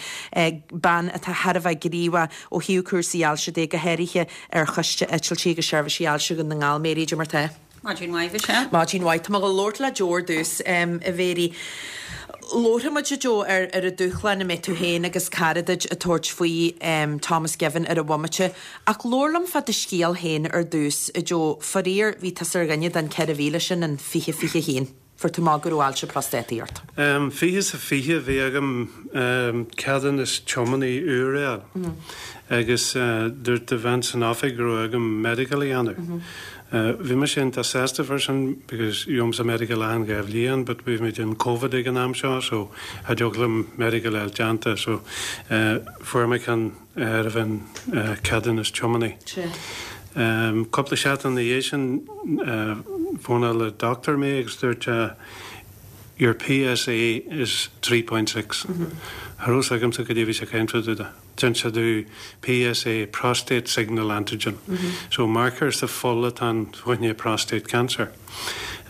bean atá thar a bheith gníomhach ó thaobh cúrsaí ailse de, go háirithe ar Choiste Eitiltí agus Seirbhísí Ailse Dhún na nGall. Mary, cad é mar tá? Maidin mhaith, Mhichelle. Maidin mhaith. Tá mé ag dul labhairt le Joe ar dtús, a Mhary. Labharfaidh muid, a Joe, ar ar an dúshlán a mbeidh tú féin agus cara duit ag tabhairt faoi, Thomas Given, ar an bhomaite. Ach labhair liom fá do scéal féin ar dtús, a Joe. Faraor, bhí tusa ar dhuine den 4,000 sin in 2021. Fuair tú amach go raibh ailse próstataí ort. 20 sa 20 bhí agam ceadúnas tiománaí úr a fháil agus dúirt an bhean san oifig go raibh agam medical a dhéanamh. Bhí mise iontach sásta fá sin because gheobhaimse medical achan 2 bhliain but bhí muid in Covid ag an am seo so cha dtiocfadh liom medical a fháil déanta so fuair mé ceann roimh an ceadúnas tiománaí. Cúpla seachtain ina dhiaidh sin fónáil an doctor mé agus dúirt sé Your PSA is 3.6. Cha raibh fhios agamsa cad é a bhí sé ag caint fá dtaobh de. D'inis sé domh PSA, prostate signal antigen. So marker sa fuil atá ann fá choinne prostate cancer.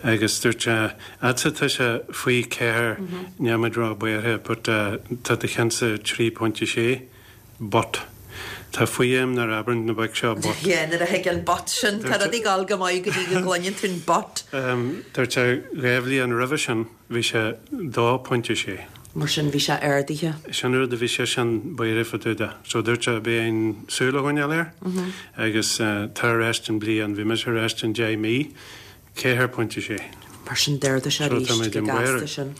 Agus dúirt sé, A'dsa tá sé faoi 4, níl muid ró-bhuartha but tá do cheannsa 3.6. But. Tá fuath a'm nuair a abrann na boic seo but. Yeah, nuair a thig an but sin, tá rudaí ag dul go maith go dtí go gcluineann tú an but. Dúirt sé 2 bhliain roimhe sin bhí sé 2.6. Mar sin bhí sé ardaithe. Sin rud a bhí seisean buartha fá dtaobh de. So dúirt sé b'fhéidir súil a choinneáil air agus tar ar ais i mbliain, bhí mise ar ais in 10 mí 4.6. Mar sin d'ardaigh sé arís go gasta sin.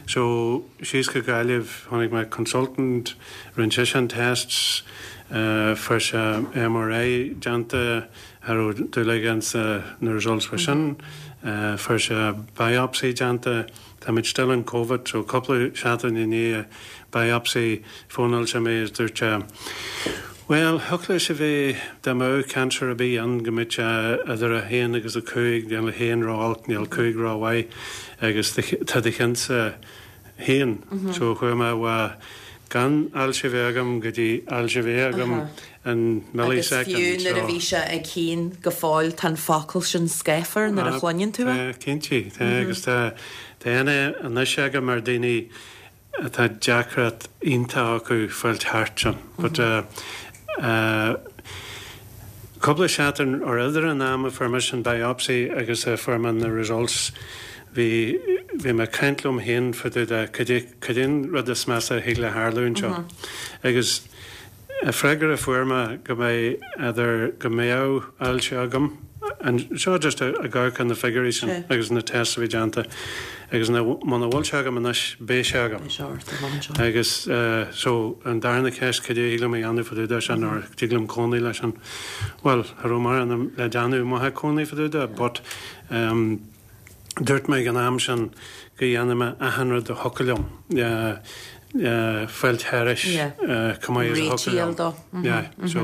So síos go Gaillimh chonaic mé consultant, rinne seisean tests, fuair sé MRI déanta, cha raibh dúil aige ins na results fá sin, fuair sé biopsy déanta, táimid still in Covid so cúpla seachtain i ndiaidh biopsy fónáil sé mé is dúirt sé. Bhuel, thiocfadh leis a bheith, dá mbeadh cancer ar bith ann, go mbeadh sé idir 1 agus 5, níl 1 ró-olc, níl 5 ró-mhaith, agus tá do chinnsa féin. So chuaigh mé ó gan ailse a bheith agam go dtí ailse a bheith agam in millisecond. Agus fiú nuair a bhí sé ag haon go fóill, tá an focal sin scáfar nuair a chluineann tú é. Tá, cinnte, tá, agus tá aithne anois agam ar daoine atá deacracht iontach acu fáilt thart sin. But cúpla seachtain or idir an am a fuair mise an biopsy agus a fuair mé na results bhí bhí mé ag caint liom féin fá dtaobh de cad é cad é an rud is measa a thig le tharlú anseo. Agus Freagra a fuair mé go mbeidh idir go mbeadh ailse agam, seo just ag amharc ar na figiúirí sin agus na tests a bhí déanta, agus muna bhfuil sé agam anois, beidh sé agam. Agus so an darna ceist, cad é a thig liom a dhéanamh fá dtaobh de sin or dtig liom cónaí leis sin? Bhuel, cha raibh mórán le déanamh maith cónaí fá dtaobh de but Dúirt mé ag an am sin go dhéanfaidh mé achan rud a thiocfadh liom le fáilt thairis chomh maith is a thiocfadh liom. Yeah, so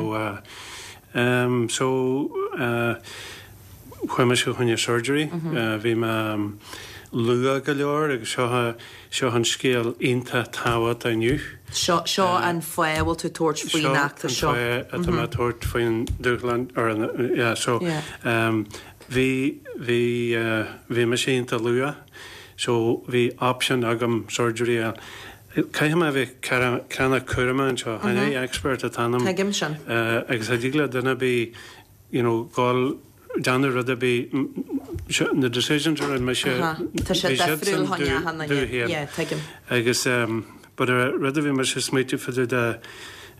so chuaigh mise fá choinne surgery, bhí mé luath go leor agus seo seo an scéal iontach tábhachtach inniu. Seo seo an fáth a bhfuil tú ag tabhairt faoin fheachtas seo. Seo an fáth atá mé ag tabhairt faoin dúshlán or an yeah so Bhí, bhí, bhí mise iontach luath so bhí option agam surgery a fháil. Caithfidh mé a bheith ceannach cúramach anseo, chan é expert atá ionam. Tuigim sin. Agus cha dtig le duine ar bith you know dhul déanamh rud ar bith, na decisions a rinne mise, Tá sé difriúil chun achan duine. Yeah, tuigim. Agus but rud a bhí mise ag smaoitiú fá dtaobh de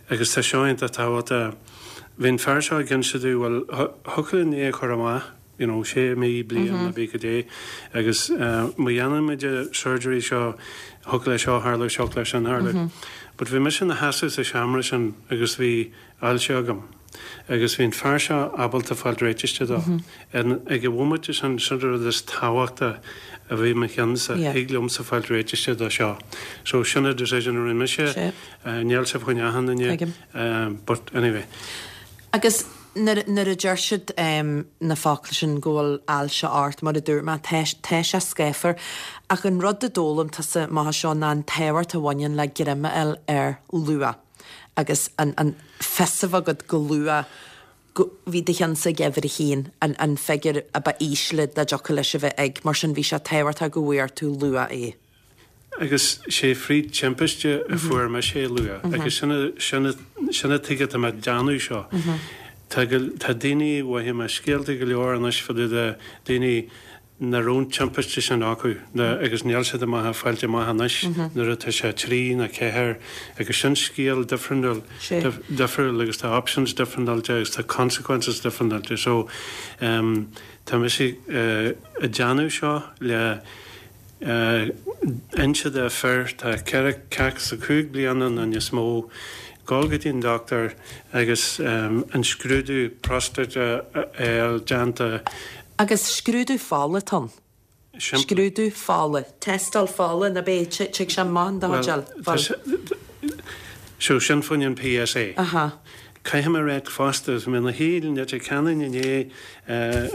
agus tá seo iontach tábhachtach, Bhí an fear seo ag inse domh, bhuel, thiocfadh linn é a chur amach, you know, sé mí, bliain, nó pé cad é, agus má dhéanaimid an surgery seo, thiocfadh le seo tharlú, thiocfadh le sin tharlú. But bhí mise ina sheasamh sa seomra sin agus bhí ailse agam agus bhí an fear seo ábalta fáil réitithe dó. Ag an bhomaite sin, sin an rud is tábhachta a bhí i mo cheannsa, thig liomsa fáil réitithe dó seo. So sin an decision a rinne mise, níl sé fá choinne achan duine. But anyway. Agus nuair nuair a deir siad na focla sin go bhfuil ailse ort, mar a dúirt mé, tá tá sé scáfar. Ach an rud a d'fhoghlaim tusa amach as seo ná an tábhacht a bhaineann le greim a fháil air luath agus an an fios a bheith agat go luath go bhí do cheannsa ag uimhir a haon, an an figiúr a ba ísle dá dtiocfadh leis a bheith ag, mar sin bhí sé tábhachtach go bhfuair tú luath é. Agus sé fríd timpiste a fuair mise é luath agus sin sin sin an tuige atá mé ag déanamh seo. Tá go tá daoine mhothaigh mé scéalta go leor anois fá dtaobh de daoine nach raibh an timpiste sin acu na agus níl siad amach ag fáilt amach anois nuair atá sé 3 nó 4 agus sin scéal difriúil difriúil agus tá options difriúilte agus tá consequences difriúilte so tá mise ag déanamh seo le inse do fir atá 45 bliana nó níos mó, dul go dtí an dochtúir agus an scrúdú próstáite a fháil déanta. Agus scrúdú fola atá ann. Scrúdú fola. Tástáil fola, nó b'é, tig sé amach in do chuid Bhuel, so sin fá choinne an PSA. Aha. Caithfidh mé a ráit fosta, bhí mé ina shuí i Leitir Ceanainn inné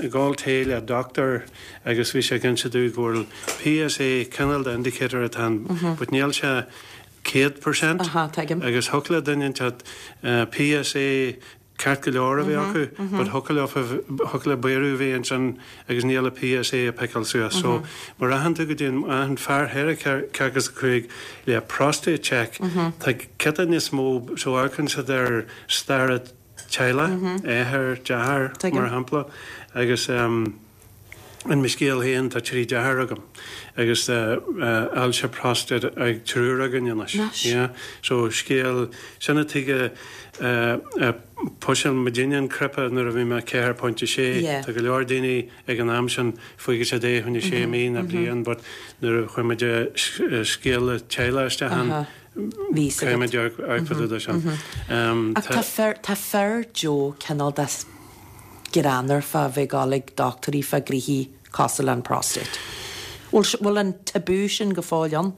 ag ól tae le doctor agus bhí sé ag inse domh go bhfuil PSA cineál de indicator atá ann but níl sé 100% agus thiocfadh le duine inteacht PSA ceart go leor a bheith acu but thiocfadh leo thiocfadh le bioradh a bheith ansin agus níl a PSA ag piceáil suas. So má rachann tú go dtí an fear 45 le prostate check tá giota níos mó so amharcann siad ar stair teaghlaigh, athair, deartháir mar shampla agus in mo scéal féin tá trí deartháir agam agus ailse prostate ag triúr againn anois. Yeah. So scéal sin an tuige a Pushil muidinne an cnaipe nuair a bhí mé 4.6. Tá go leor daoine ag an am sin faighidh siad é fá choinne sé mí nó bliain but nuair a chuir muid scéal teaghlaigh isteach ann caithfidh muid amharc fá dtaobh de sin. Ach tá fir tá fir Joe cineál de greannmhar fá bheith ag dul ag dochtúirí fá gnoithí cosúil le an prostate. Bhfuil bhfuil an tabú sin go fóill ann?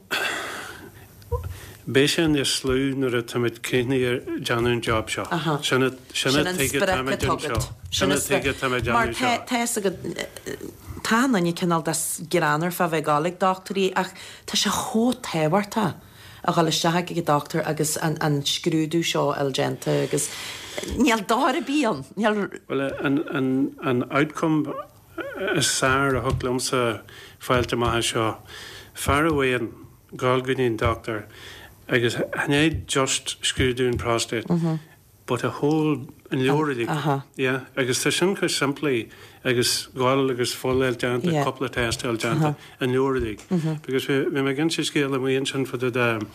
Beidh sé níos lú nuair a táimid críochnaithe ag déanamh an job seo. Sin an Sin an tuige sprioc táimid atá anseo. agat. Sin an tuige táimid Mar déanamh seo. tá fhios agat, tá an duine cineál de greannmhar fá bheith ag dul ag dochtúirí ach tá sé chomh tábhachtach a dhul isteach ag an dochtúir agus an scrúdú seo a fháil déanta agus níl dochar ar bith ann. Níl. Bhuel, an outcome is fearr a thig liomsa fáilt amach as seo, fear amháin, dhul go dtí an dochtúir agus chan é just scrúdú an prostate but a whole an leabhar uilig yeah agus tá sin chomh simplí agus dhul agus fuil a fháil déanta cúpla test a fháil déanta an leabhar uilig because bhí bhí mé ag inse scéal amuigh ansin fá dtaobh de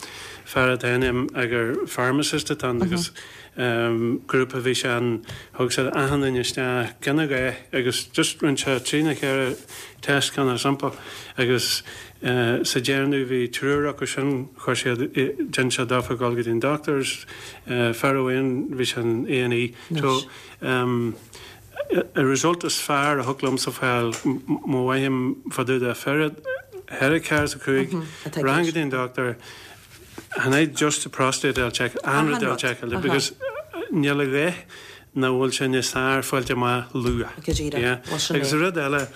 fear atá in agur pharmacist atá ann agus grúpa a bhí sé ann thug sé achan duine isteach gan a dhath agus just rinne sé trí nó cheithre test kind of simple agus Sa deireadh bhí triúr acu sin, chuir siad, dhein sé daofa dhul go dtí an doctors, fear amháin bhí sé in A&E. So, an result is fearr a thig liomsa fáil, má fhaighim fá dtaobh de fear, cheithre carr is a cúig, rachainn go dtí an doctor, chan é just the prostate a check, achan rud a checkáil, because níl a dhath nach bhfuil sé níos fearr fáilt amach luath. Go díreach. Agus an rud eile,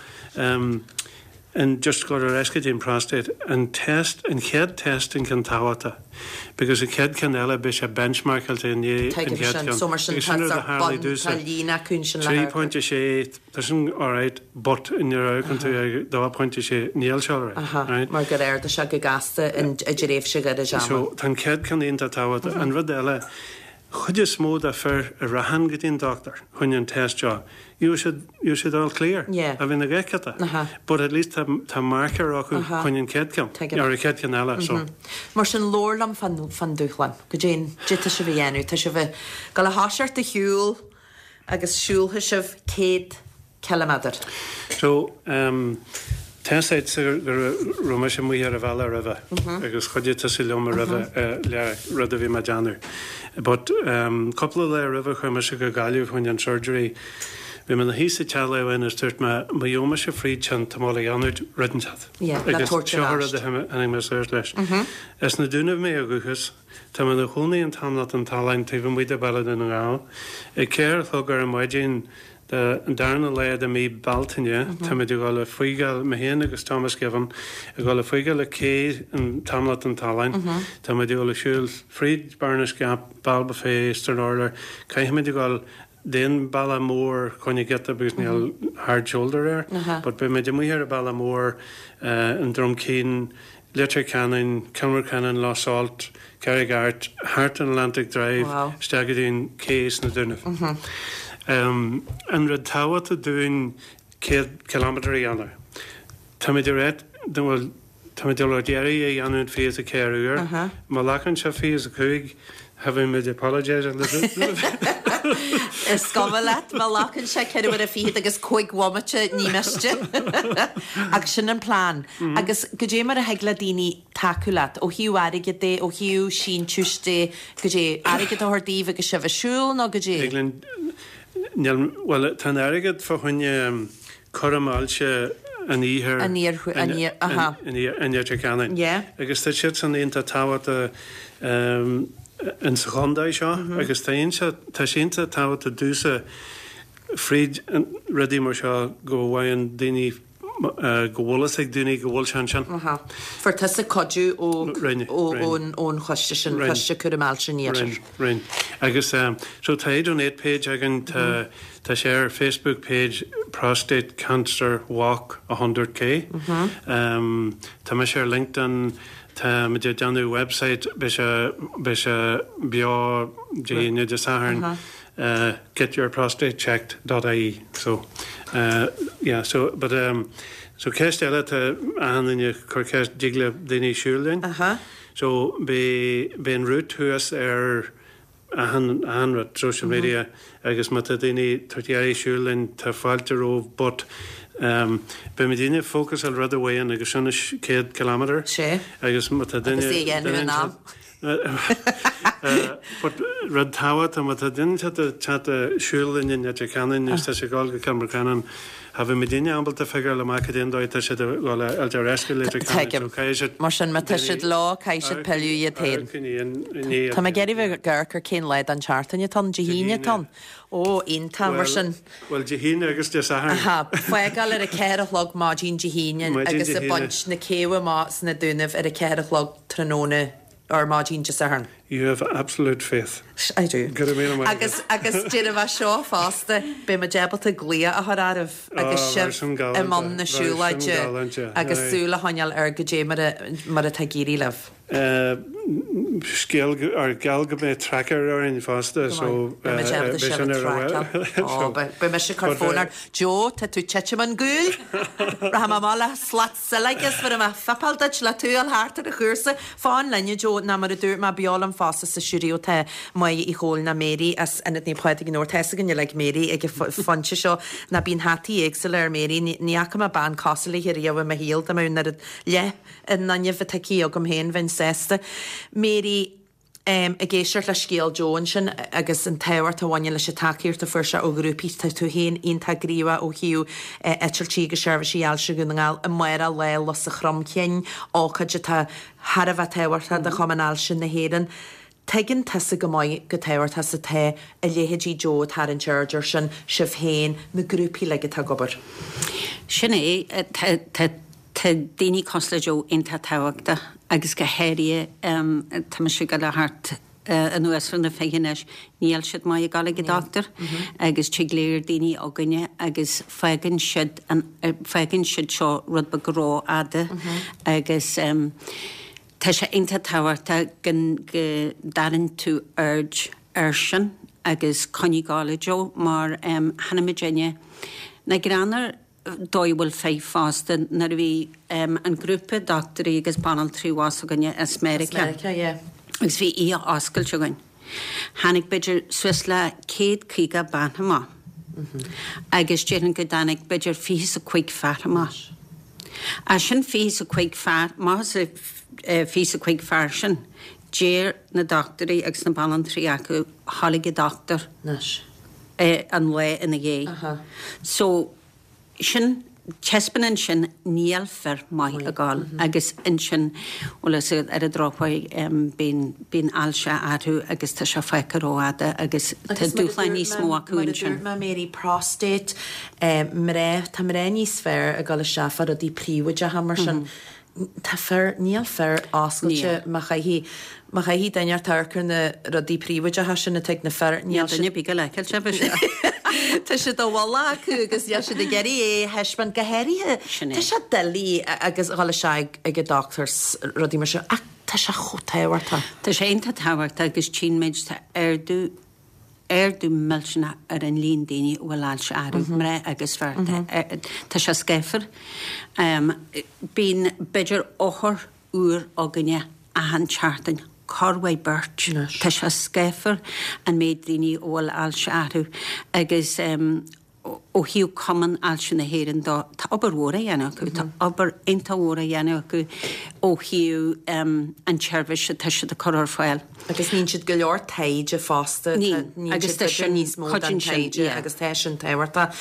And just go ar ais go dtí an prostate, an test, an chéad test an ceann tábhachtach because an chéad ceann eile beidh sé benchmarkáilte i ndiaidh an Tuigim chéad sin. ceann. So mar sin Agus tá sin rud a sort tharlaigh bun, domhsa. tá líne acu ansin le hamharc. 3.6, tá sin alright but nuair a amharcann tú ag 2.6 níl sé alright, Aha, right? mar gur ardaigh sé go gasta in, i dtréimhse ghairid ama. So tá an chéad ceann iontach tábhachtach. An rud eile, chuid is mó de fir a rachann go dtí an dochtúir chun an test seo, gheobhaidh siad, gheobhaidh siad all clear, Yeah. a bhíonn a gceart. Aha. But at least tá, tá marker acu Aha. chun an chéad ceann, Tuigim. or an chéad ceann eile, so. Mar sin, labhair liom fán, fán dúshlán. Goidé an, goidé tá sibh a dhéanamh. Tá sibh ag dul a thoiseacht a shiúl agus siúlfaidh sibh 100 ciliméadar. So, tá's agat go raibh mise amuigh ar an bhealach roimhe agus chuidigh tusa liom roimhe le rud a bhí mé ag déanamh. But cúpla lá roimhe chuaigh mise go Gaillimh chun an surgery. Bhí mé ina shuí sa teach lá amháin agus dúirt mé má gheobhaidh mise fríd sin tá mé a dhéanamh rud inteacht. Agus seo an rud a tháinig mé suas leis. As na Dúnaibh mé ó dhúchas. Tá mé ina chónaí in Tamhlacht an tSaláin taobh amuigh de Bhaile Dhún na nGall. Ag 4 a chlog ar an maidin Den darna lá de mí Bealtaine, táimid ag dul ag fágáil, mé féin agus Thomas Givan, ag dul ag fágáil an cé in Tamhlacht an tSaláin. Táimid ag dul ag siúl fríd Bearnas Gap, Ballybofey, Stranorlar. Caithfimid a dhul den bealach mór chun an giota because níl hard shoulder air. But beimid amuigh ar an bealach mór, an Drom Cinn, Leitir Ceanainn, Cill Mocheannainn, Lough Salt, Carraig Airt, thart an Atlantic Drive isteach go dtí an cé sna Dúnaibh. An rud tábhachtach dúinn 100 kilometre a dhéanamh. Táimid ag ráit, bhuel, táimid ag iarraidh é a dhéanamh in 24 uair. Má ghlacann sé 25, Táimid apologising Is cuma leat má ghlacann sé ceithre huaire fichead agus cúig bhomaite, ní miste. Ach sin an plean. Agus goidé mar a thig le daoine tacú leat, ó thaobh airgid de, ó thaobh síntiúis de, goidé, airgead a thabhairt daoibh agus sibh ag siúl nó goidé? Thig linn, níl, bhuel, tá an airgead fá choinne cúram ailse an iarthair, An iarthair, an iar, aha. in Leitir Ceanainn. Yeah. Agus tá siad san iontach tábhachtach in sa chontae seo agus tá iontach, tá sé iontach tábhachtach domhsa fríd rudaí mar seo go bhfaigheann daoine, go bhfuil fhios ag daoine go bhfuil sé ansin. Aha. Fuair tusa cuidiú ó, Rinne, ó, rinne. ón, ón choiste sin, Rinne. Coiste Cúraim Ailse an Iarthair. Rinne, rinne. Agus so tá iDonate page againn, tá, tá sé ar Facebook page Prostate Cancer Walk 100K. Tá mise ar LinkedIn, tá muid ag déanamh website, beidh sé, beidh sé beo Dé hAoine, Dé Sathairn, getyourprostatechecked dot ie. So, yeah, so, but, so ceist eile tá achan duine ag cur ceist, dtig le daoine siúl linn? So, beidh, beidh an route thuas ar achan, achan rud, social media, agus má tá daoine ag iarraidh siúl linn, tá fáilte romhaibh, but, beidh muidinne fócas ar rud amháin agus sin 100 kilometre. Sé. Agus má tá duine, Agus é a dhéanamh in am. But rud tábhachtach, má tá duine teacht ag siúl linn in Leitir Ceanainn nó tá sé ag dul go Cill Mocheannáin, cha bheidh muidinne ábalta figureáil amach cad é an dóigh atá siad ag dul a fháilt ar ais go Leitir Ceanainn so caithfidh siad Mar sin, má tá siad leo, caithfidh siad pilleadh iad féin. Tá mé ag iarraidh bheith ag amharc ar cén lá den tseachtain atá ann, Dé hAoine atá ann. Ó, iontach, mar sin. Bhuel, Dé hAoine agus Dé Sathairn. Aha, fágáil ar a 4 a chlog maidin Dé hAoine agus ag baint na céibhe amach sna Dúnaibh ar a 4 a chlog tráthnóna or maidin Dé Sathairn. You have absolute faith. I do. Go raibh míle maith agat. Agus, agus déarfaidh mé seo fosta, beidh muid ábalta glaoch a chur oraibh agus sibh i mbun na siúlóide agus súil a choinneáil ar goidé mar a, mar atá ag éirí libh. Scéal ar geall go mbeidh tracker orainn fosta so Beidh muid ábalta beidh sibh sin a ar a traiceáil. Ó, beidh mise ag cur fón ort. Joe, tá tú titim ón gcúl. Rachaidh mé amach le slat sileoige is bhéarfaidh mé fuipeáil duit le tú a fháil thart ar an chúrsa. Fan linn, a Joe, ná mar a dúirt mé, beo liom fosta sa stiúideo tá Máire Uí Chomhaill ná Mary as Ionad Naomh Pádraig an Fheabhair. Tá fhios againn uilig Mary ag an phointe seo ná bíonn hataí éagsúla ar Mary. Ní fhaca mé bean cosúil léi riamh i mo shaol dá mbeadh an oiread leath an fhuinnimh atá aici agam féin, bheinn sásta. Mary, Ag éisteacht le scéal Joe ansin agus an tábhacht a bhaineann leis an tacaíocht a fuair sé ó ghrúpaí, tá tú féin iontach gníomhach ó thaobh eitiltí agus seirbhísí ailse Dhún na nGall. Amárach Lá Lus an Chromchinn, ócáid atá thar a bheith tábhachtach do Chumann Ailse na hÉireann. Tuigeann tusa go maith chomh tábhachtach is atá a leithéidí Joe ag tarraingt aird air sin, sibh féin, na grúpaí uilig atá ag obair. Sin é. Tá Tá daoine cosúil le Joe iontach tábhachtach agus go háirithe tá mise ag dul thart anuas ar na fiche anois, níl siad maith ag dul ag an dochtúir agus tig léir daoine againne agus fágann siad an fágann siad seo rud beag rófhada agus tá sé iontach tábhachtach go go dtarraing tú aird air sin agus coinnigh ag dul a Joe mar chonaic muidinne na greannair dóigh a bhfuil fir fosta nuair a bhí an grúpa dochtúirí agus banaltraí abhus againne as Meiriceá. As Meiriceá, yeah. Agus bhí oíche oscailte againn. Tháinig b'fhéidir suas le 150 bean amach agus déarfainn go dtáinig b'fhéidir fiche is a cuig fear amach. As sin fiche is a cuig fear, amach as an fiche is a cuig fear sin, deir na dochtúirí agus na banaltraí acu, a dhul ag an dochtúir. Anois. an lá ina dhiaidh. So, sin, taispeánann sin níl fir maith ag dul agus ansin, bhuel is ar an drochuair bíonn, bíonn ailse orthu agus tá sé fágtha rófhada agus tá dúshláin níos mó acu ansin. Mar a dúirt mé, Mary, prostate, mná, tá mná níos fearr ag dul isteach fá rudaí príobháideacha mar sin. Tá fir, níl fir oscailte má chaithfidh, má chaithfidh duine ort amharc ar na rudaí príobháideacha sin atá ag na fir, níl siad. Níl duine ar bith ag dul a fheiceáil sibh. Tá siad i bhfolach acu agus níl siad ag iarraidh é a thaispeáint go háirithe. Sin é. Tá sé doiligh agus dhul isteach ag an dochtúir 's rudaí mar sin ach tá sé chomh tábhachtach. Tá sé iontach tábhachtach agus tchíonn muid tá ardú ardú millteanach ar an líon daoine a bhfuil ailse orthu, mná agus fir. Tá sé scáfar. Bíonn b'fhéidir othar úr againne achan tseachtain, corruair beirt. Tá sé scáfar an méid daoine a bhfuil ailse orthu agus Ó thaobh Cumann Ailse na hÉireann dó, tá obair mhór á dhéanamh acu, tá obair iontach mhór á dhéanamh acu ó thaobh an tseirbhís atá siad ag cur ar fáil. Agus níonn siad go leor taighde fosta, níonn siad b'fhéidir níos mó den taighde agus tá sin tábhachtach.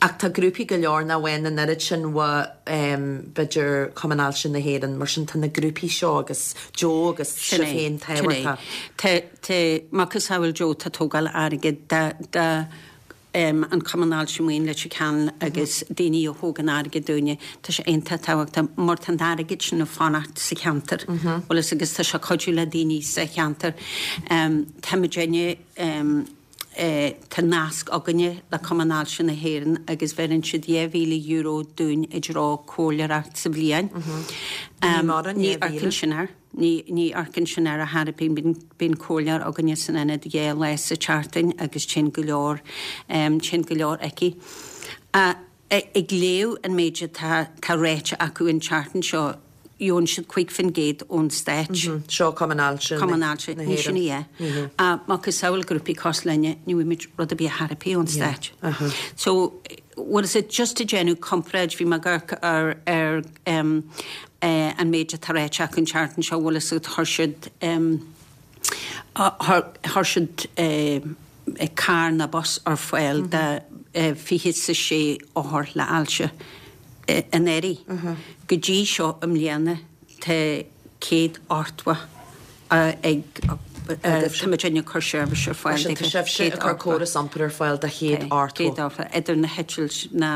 Ach tá grúpaí go leor nach bhfaigheann an oiread sin ó b'fhéidir Cumann Ailse na hÉireann, mar sin tá na grúpaí seo agus Joe agus sibh féin tábhachtach. Tá, tá, macasamhail Joe, tá tógáil airgid do an Cumann Ailse Maoin Leitir Ceanainn agus daoine a thógann airgead dúinne, tá sé iontach tábhachtach mar tá an t-airgead sin ag fanacht sa cheantar, bhfuil fhios agus tá sé ag cuidiú le daoine sa cheantar. Tá muidinne, tá nasc againne le Cumann Ailse na hÉireann agus bheireann siad €2,000 dúinn i dtreo comhairleoireacht sa bhliain. Ní amharcann sin air. Ní, ní amharcann sin air ar chor ar bith. Bíonn comhairleoir againne san ionad dhá lá sa tseachtain agus téann go leor, téann go leor aici. Ag léamh an méid atá, tá ráite acu an tseachtain seo, gheobhann siad 5% ón Stát. Seo Cumann Ailse Cumann Ailse, ní sin í é. Macasamhail grúpaí cosúil linne, ní bhfaighimid rud ar bith ar chor ar bith ón Stát. So, what is it, just ag déanamh comparáid, bhí mé ag amharc ar, ar. An méid atá ráite acu an tseachtain seo, bhfuil fhios agat, chuir siad, chuir siad carr nó bus ar fáil do 26 othar le ailse anuraidh. Go dtí seo i mbliana tá 180 ag, tá muid ag cur seirbhís ar fáil do Tá sibhse ag cur córas iompair ar fáil do 180. Idir na heitilt ná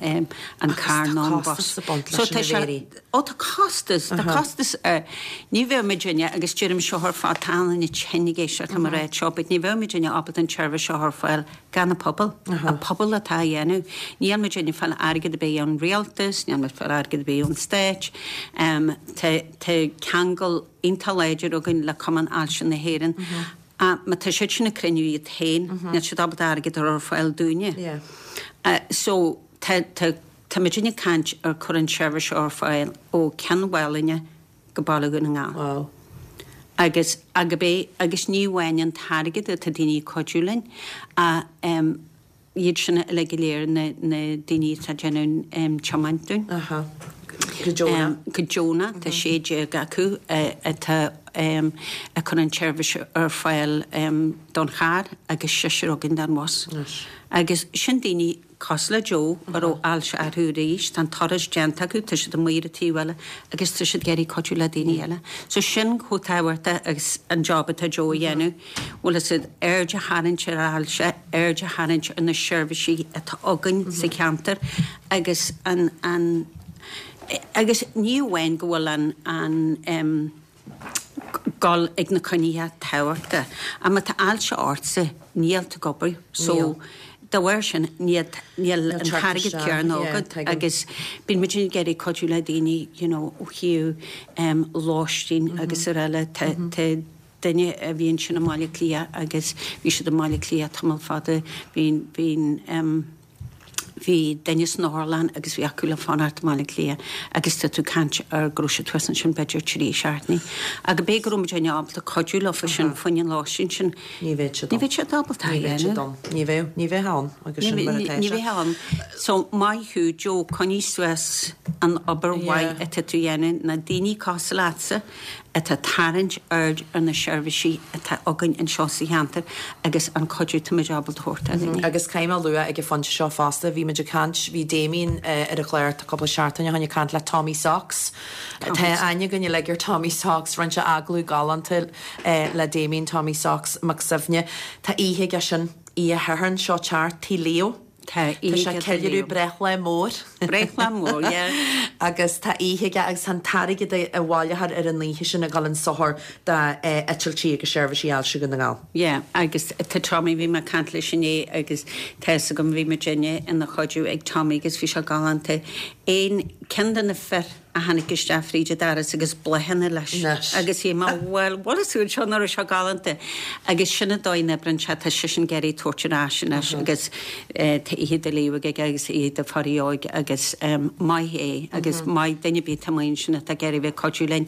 an carr nó an bus. Costas ag baint leis sin a Mhéirí. Ó tá costas, tá costas. Ní bheadh muidinne, agus deirim seo ar fad, tá an-duine tinn ag éisteacht liom ag ráit seo, but ní bheadh muidinne ábalta an tseirbhís seo ar fáil gan an pobal. An pobal atá á dhéanamh. Níl muidinne ag fáil airgead ar bith ón rialtas, níl muid ag fáil airgead ar bith ón stát. Tá Tá ceangal iontach láidir againn le Cumann Ailse na hÉireann. Má tá siad sin ag cruinniú iad féin, níl siad ábalta airgead a chur ar fáil dúinne. So, tá, tá, tá muidinne ag caint ar cur an tseirbhís seo ar fáil ó Ceann Mhálanna go Baile Dhún na nGall. Wow. Agus, agab é, agus ní amháin an t-airgead atá daoine ag cuidiú linn, ach iad sin uilig go léir, na daoine atá ag déanamh tiomáint dúinn. Aha. Go deonach. Go deonach, tá 16 acu atá ag cur an tseirbhís ar fáil don charr agus seisear againn don bhus. Agus sin daoine cosúil le Joe a raibh ailse orthu arís, tá an turas déanta acu, tá siad amuigh ar an taobh eile agus tá siad ag iarraidh cuidiú le daoine eile. So sin chomh tábhachtach agus an job atá Joe a dhéanamh. Bhfuil fhios agat, aird a tharraingt ar ailse, aird a tharraingt ar na seirbhísí atá againn sa cheantar agus an, an, agus ní amháin go bhfuil an, an em, dul ag na coinnithe tábhachtach, ach má tá ailse ortsa, níl tú ag obair, so dá bharr sin níl, níl an t-airgead céanna agat agus bíonn muid ag iarraidh cuidiú le daoine you know ó thaobh em lóistín agus araile, tá, tá, duine a bhí ansin i mBaile Átha Cliath agus bhí siad i mBaile Átha Cliath tamall fada, bhí, bhí, bhí duine san otharlann agus bhí acu le fanacht i mBaile Átha Cliath agus tá tú ag caint ar go raibh siad thuas ansin b'fhéidir trí seachtainí. Ach b'é go raibh muid ábalta cuidiú leofa sin faoin an lóistín sin. Ní bheadh siad Ní bheadh siad ábalta Ní bheadh siad ann. Ní bheadh, ní bheadh ann agus sin mar atá Ní bheadh ann. So maith thú Joe, coinnigh suas an obair mhaith atá tú a dhéanamh, na daoine cosúil leatsa, atá ag tarraingt aird ar na seirbhísí atá againn anseo sa cheantar agus an cuidiú atá muid ábalta a thabhairt do dhaoine. Agus caithfidh mé a lua ag an phointe seo fosta, bhí muid ag caint, bhí Damien ar an chlár cúpla seachtain ó shin ag caint le Tommy Socks. Tá aithne againn uilig ar Tommy Socks, rinne sé agallamh galánta le Damien Tommy Socks Mac Suibhne. Tá oíche aige sin, oíche Shathairn seo teacht, Tigh Leo. Tá Tá sé ag ceiliúradh breithlá mór. Breithlá mór, yeah. Agus tá oíche aige agus tá an t-airgead a bhaileofar ar an oíche sin ag dul chun sochair d'eitiltí agus seirbhísí ailse Dhún na nGall. Yeah, agus tá Tommy, bhí mé ag caint leis inné agus tá fhios agam, bhí muidinne ina chuidiú ag Tommy agus bhí sé galánta. Aon, ceann de na fir, a tháinig isteach fríd an doras agus bláthanna leis agus shíl mé bhuel what is it seo nach raibh sé galánta agus sin an dóigh a n-oibríonn sé tá seisean ag iarraidh tabhairt ar ais anois agus tá oíche do Leo aige agus oíche do Pháidí Óg agus maith é agus maith duine ar bith atá amuigh ansin atá ag iarraidh bheith ag cuidiú linn.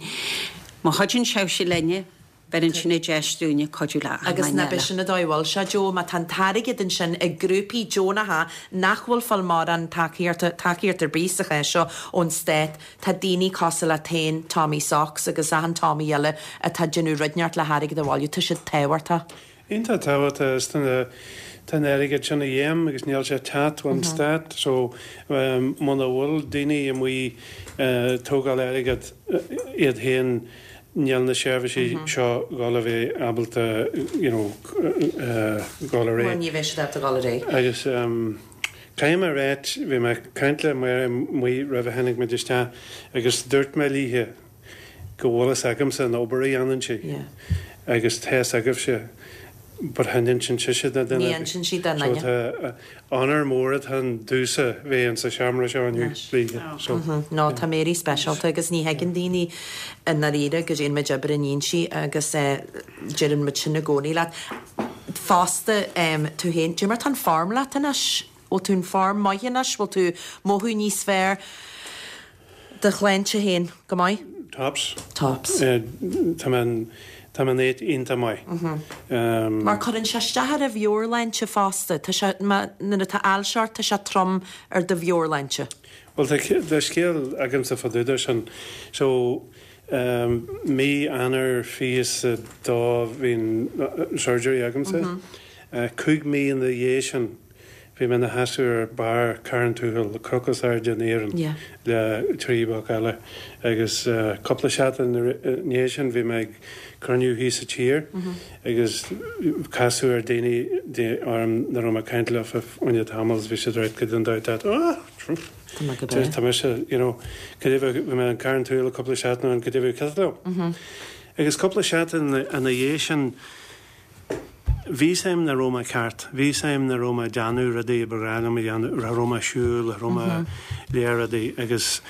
Má chuidíonn sibhse linne Beireann sin an deis dúinne cuidiú le achan Agus duine ná eile. b'shin an dóigh a bhfuil sé, Joe, má tá an t-airgead ansin ag grúpaí deonacha nach bhfuil fáil mórán tacaíochta, tacaíocht ar bith sa chás seo ón stát, tá daoine cosúil leat féin, Tommy Socks agus achan Tommy eile atá ag déanamh rud inteacht le hairgead a bhailiú, tá siad tábhachtach. Iontach tábhachtach is tá na, tá an airgead sin a dhíth agus níl sé ag teacht ón stát so muna bhfuil daoine amuigh ag tógáil airgead iad féin níl na seirbhísí seo dhul a bheith ábalta you know dhul ar aghaidh. Bhuel ní bheidh siad ábalta dhul ar aghaidh. Agus caithfidh mé a ráit, bhí mé ag caint le Máire amuigh roimh a tháinig muid isteach agus dúirt mé léithe go bhfuil fhios agamsa an obair a dhéanann sí agus tá fhios agaibhse but chan insíonn sise do dhuine ar bith. Ní insíonn sí do dhuine. So tá onóir mór atá ann domhsa bheith in sa seomra seo inniu léithe. So. No, tá Mary speisialta agus ní thuigeann daoine i ndáiríre go ndéanann muid obair in Fhoinse agus deireann muid sin i gcónaí leat. Fosta, tú féin, cad é mar tá an form leat anois? Bhfuil tú in form maith anois? Bhfuil tú mothú níos fearr? Do shláinte féin, go maith? Tops. Tops. Tá mé in. Tá mé in áit iontach maith. Mar cuireann sé isteach ar an mheabhairshláinte fosta. Tá sé, má, nuair atá ailse ort, tá sé trom ar do mheabhairshláinte. Bhuel, tá, tá scéal agamsa fá dtaobh de sin. So, mí Eanáir 22 bhí an surgery agamsa. 5 mí ina dhiaidh sin, Bhí mé ina sheasamh ar barr Carn Tuathail, cnoc is airde in Éirinn, le 3 boc eile. Agus cúpla seachtain ina dhiaidh sin bhí mé ag cruinniú thíos sa tír agus casadh ar daoine orm nach raibh mé ag caint leo fá choinne tamall agus bhí siad ag ráit goidé an dóigh atá tú. Ah! Tá mé go breá. Tá mise, you know, goidé bhí mé in Carn Tuathail cúpla seachtain ó shin, goidé bhí ceart leo. Agus cúpla seachtain ina dhiaidh sin, Bhí 'fhios a'm nach raibh mé ceart. Bhí 'fhios a'm nach raibh mé ag déanamh rudaí a ba ghnách liom a dhéanamh, cha raibh mé ag siúl, cha raibh mé léir rudaí agus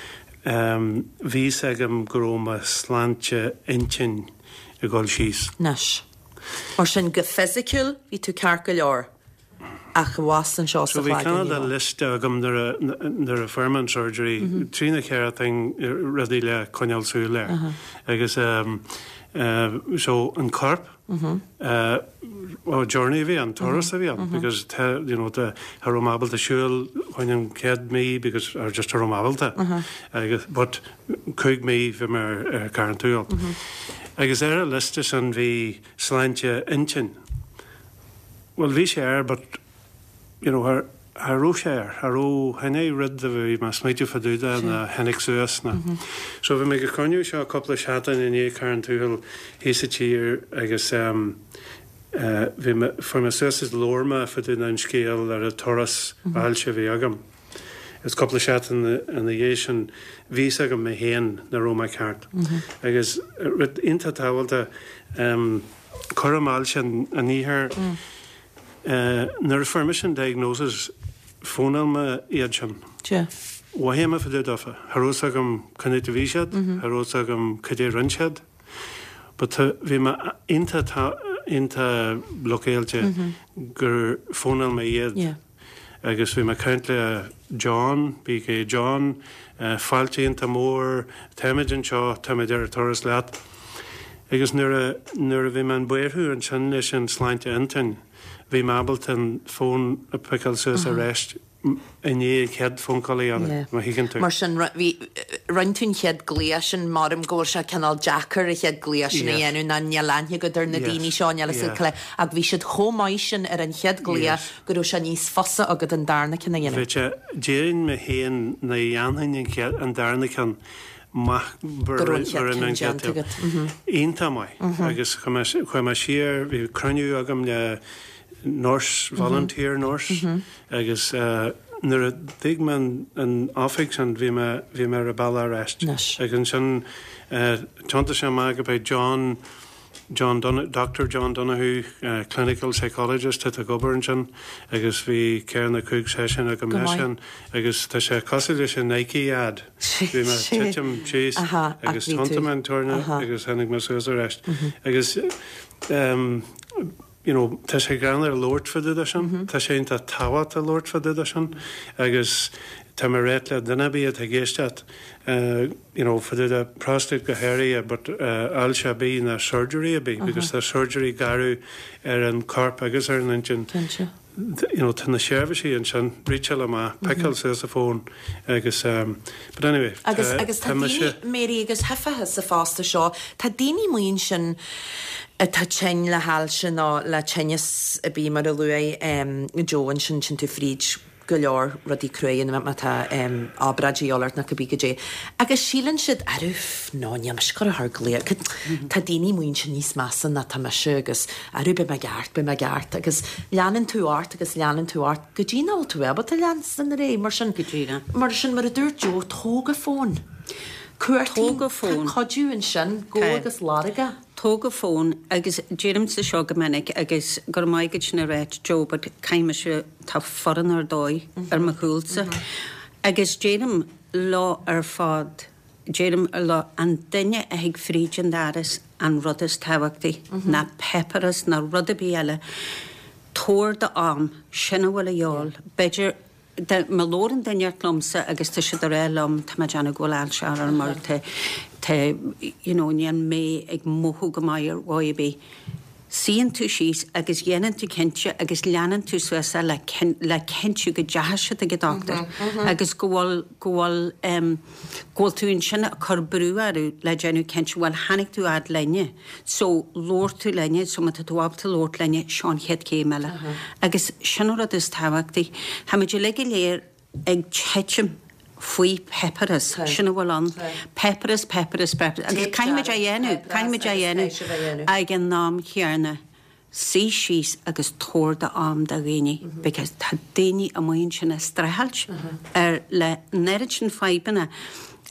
bhí 'fhios agam go raibh mo shláinte intinn ag dul síos. Anois. Mar sin, go fisiciúil, bhí tú ceart go leor. Ach abhus anseo sa So bhí chloigeann, cineál ní de raibh. liosta agam nuair a nuair a fuair mé an surgery, trí nó cheithre thing, rudaí le coinneáil súil air. Agus so an corp, oh journey a bhí ann, turas a bhí ann because tá you know tá cha raibh mé ábalta siúl choinne an chéad mí because or just cha raibh mé ábalta. Agus but 5 mí bhí mé ar ar Carn Tuathail. Agus ar an liosta sin bhí sláinte intinn. Bhuel bhí sé air but you know cha cha raibh sé air, cha raibh, chan é rud a bhí mé ag smaoitiú fá dtaobh de ná tháinig suas ná. So bhí mé ag an chruinniú seo cúpla seachtain i ndiaidh Carn Tuathail thíos sa tír agus em eh bhí mé, fuair mé suas is labhair mé fá dtaobh den scéal ar an turas ailse a bhí agam. Is cúpla seachtain ina dhiaidh sin bhí 'fhios agam mé féin nach raibh mé ceart. Agus rud iontach tábhachtach, cúram ailse an iarthair, nuair a fuair mise an diagnosis, fónáil mé iad sin. Mhothaigh mé fá dtaobh dófa. Cha raibh 'fhios agam cén áit a bhí siad, cha raibh 'fhios agam cad é a rinne siad. But bhí mé iontach iontach luckáilte gur fónáil mé iad. Agus bhí mé ag caint le John, BK John, fáilte iontach mór, táimid anseo, táimid ar an turas leat. Agus nuair a, nuair a bhí mé in buartha ansin leis an sláinte intinn, bhí mé ábalta an fón a piceáil suas arís i ndiaidh an chéad phone call a dhéanamh, má thuigeann tú. Mar sin, bhí, rinne tú an chéad glaoch sin, maram go bhfuil sé cineál deacair an chéad glaoch sin a dhéanamh ná níl aithne agat ar na daoine seo, níl fhios agat, ach bhí siad chomh maith sin ar an chéad glaoch go raibh sé níos fusa agat an darna ceann a dhéanamh. Bhí sé, déarfainn mé féin nach dhéanfainn an chéad, an darna ceann amach Go raibh an chéad ceann déanta agat. Iontach maith agus chuaigh mé, chuaigh mé siar, bhí cruinniú agam le nurse, volunteer nurse agus nuair a d'fhág mé an oifig sin bhí mé, bhí mé ar an bealach ar ais. Agus ansin thiontaigh sé amach go b'é John, John Dun, Doctor John Donoghue, clinical psychologist atá ag obair ansin agus bhí ceithre nó cúig seisiún agam leisean agus tá sé cosúil leis an Nike ad. Bhí mé ag titim síos agus thiontaigh mé an tuirne agus tháinig mé suas arís. Agus you know, tá sé greannmhar labhairt fá dtaobh de sin, tá sé iontach tábhachtach labhairt fá dtaobh de sin agus tá mé ag ráit le duine ar bith atá ag éisteacht, you know, fá dtaobh de prostate go háirithe but ailse ar bith ná surgery ar bith because tá surgery garbh ar an corp agus ar an intinn. Cinnte. You know, tá na seirbhísí ansin, reacháil amach, piceáil suas an fón agus but anyway, Agus agus tá tá mise. daoine, Mary, agus thuigfeá sa phost seo, tá daoine amuigh ansin atá tinn le hailse nó le tinneas ar bith mar a luaigh Joe ansin, téann tú fríd go leor rudaí cruaidh má tá obráid a dhíobháil ort nó cibé goidé. Agus síleann siad, arú, no, níl mise ag gabháil a chur glaoch, tá daoine amuigh ansin níos measa ná tá mise agus arú, beidh mé ceart, beidh mé ceart. Agus leanann tú ort agus leanann tú ort go dtí nach bhfuil tú ábalta leanstan ar aghaidh. Mar sin, Go díreach. mar sin, mar a dúirt Joe, tóg an fón. Cuartaigh, Tóg an fón. tá cuidiú ansin, gabh Tá. agus lorg é. Tóg an fón agus deirimse seo go minic agus go raibh maith agat sin a ráit Joe but caithfidh mise, tá foireann ar dóigh ar mo chúlsa agus deirim leo ar fad, deirim leo an duine a thig fríd an doras an rud is tábhachtaí ná páipéarachas ná rud ar bith eile, tabhair do am, sin a bhfuil a dhíobháil, b'fhéidir. Má labhrann duine inteacht liomsa agus tá siad ag rá liom, tá mé ag déanamh go bhfuil ailse orm or tá, tá, you know, níl mé ag mothú go maith ar dhóigh ar bith. Suíonn tú síos agus dhéanann tú cinnte agus leanann tú suas é le le cinntiú go dteachaidh siad ag an dochtúir agus go bhfuil, go bhfuil em, go bhfuil tú ansin ag cur brú orthu le déanamh cinnte, bhuel tháinig tú fhad linne so labhair tú linne so má tá tú ábalta labhairt linne seo an chéad chéim eile. Agus sin an rud is tábhachtaí. Tá muid uilig go léir ag titim faoi peipearas, sin a bhfuil ann. Peipearas, peipearas, peipearas. Agus caithfimid é a dhéanamh, caithfimid é a dhéanamh ag an am chéanna. Suigh síos agus tabhair do am do dhaoine because tá daoine amuigh ansin ag streachailt ar le an oiread sin fadhbanna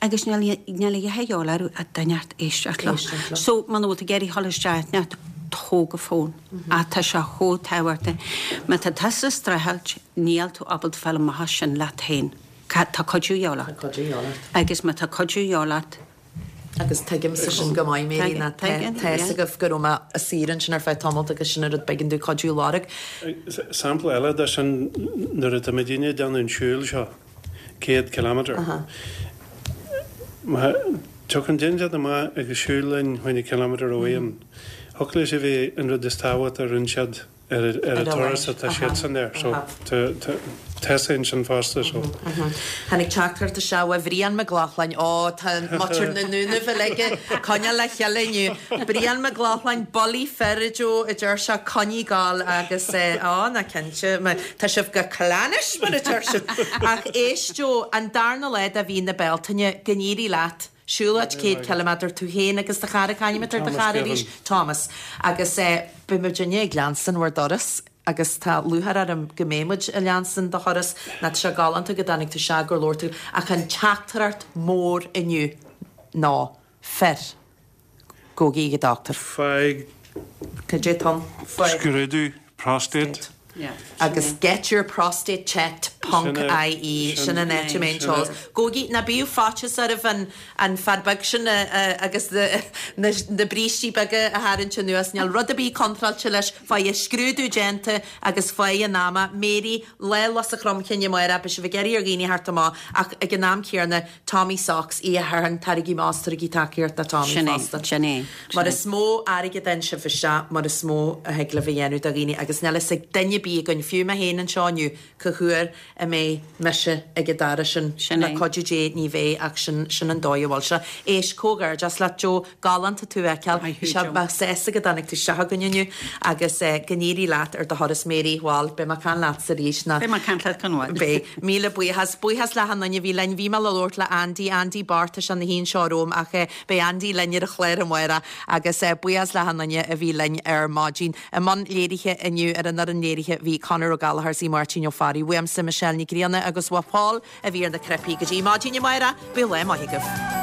agus níl níl a dhath a dhíobháil orthu ach duine inteacht éisteacht leo. So muna bhfuil tú ag iarraidh dhul isteach inteacht, tóg an fón. Ach tá sé chomh tábhachtach. Má tá tusa ag streachailt, níl tú ábalta fáil amach as sin leat féin. Tá cuidiú a dhíobháil ort. Tá cuidiú a dhíobháil ort. Agus má tá cuidiú a dhíobháil ort. Agus tuigimse sin go maith, Mary, ná tá fhios agaibh go raibh mé ag saoire ansin ar feadh tamalt agus sin an rud b'éigean domh cuidiú a lorg. Sampla eile de sin, nuair atá muidinne ag déanamh an siúil seo, 100 kilometre, má tiocfaidh duine inteacht amach agus siúl linn chuile kilometre amháin, thiocfadh leis a bheith an rud is tábhachtaí a rinne siad. ar an turas atá siadsan air so tá sé ansin fosta so. Tháinig teachtaireacht isteach ó Bhrian Mac Lochlainn, ó tá muintir na nDúnaibh uilig ag coinneáil le chéile inniu. Brian Mac Lochlainn, bullaí fir a Joe, a deir sé, coinnigh ag gabháil agus á ná cinnte, tá sibh go cleannais mar a deir siad. Ach éist Joe, an darna lá de mhí na Bealtaine, go n-éirí leat. Siúlóid 100 ciliméadar, tú féin agus do chara, c'ainm atá ar do chara arís? Thomas. Agus beidh muidinne ag leanstan bhur dturas agus tá lúcháir orm go mbeidh muid ag leanstan do thuras ná tá sé galánta go dtáinig tú isteach gur labhair tú ach an teachtaireacht mór inniu ná fir, gabhaigí ag an dochtúir. Faigh. Cad é Tom? Faigh. Scrúdú próstate. Agus getyourprostatechecked ponc ie, sin an áit a mbeidh an t-eolas. Gabhaigí, ná bíodh faitíos oraibh an an fear beag sin agus na brístí beaga a tharraingt anuas, níl rud ar bith contráilte leis, faigh an scrúdú déanta agus faigh an ama. Mary, Lá Lus an Chromchinn amárach, beidh sibh ag iarraidh ar dhaoine theacht amach ach ag an am céanna, Tommy Socks, Oíche Shathairn, Tarraigí amach is tabhraigí tacaíocht do Tommy Sin é, fosta. sin é, Mar sin é. is mó airgead a fhaigheann sibh isteach, mar is mó a thig libh a dhéanamh do dhaoine agus níl fhios ag duine ar bith againn, fiú mé féin anseo inniu, cá huair a mbeidh mise ag an dara sin. Sin Le é. cuidiú Dé ní bheidh ach sin, sin an dóigh a bhfuil sé. Éist, comhghairdeas leat Joe, galánta tú a fheiceáil. Maith thú Bhí sé Joe. mé sásta go dtáinig tú isteach chugainn inniu agus go n-éirí leat ar do thuras Mary, bhuel, beidh mé ag caint leatsa arís ná Beidh mé ag caint leat go mhaith. Beidh. Míle buíochas. Buíochas le achan duine a bhí linn. Bhí mé le labhairt le Andy, Andy Bart, tá sé ina shuí anseo romham ach beidh Andy linn ar an chlár amárach agus buíochas le achan duine a bhí linn ar maidin. I mbun léirithe inniu ar an fhoireann léirithe bhí Conor Ó Gallchóir is Máirtín Ó Fearraigh. Uaimse Michelle Ní Ghrianna agus uaidh Paul a bhí ar na cnaipí. Go dtí maidin amárach, bíodh lá maith agaibh.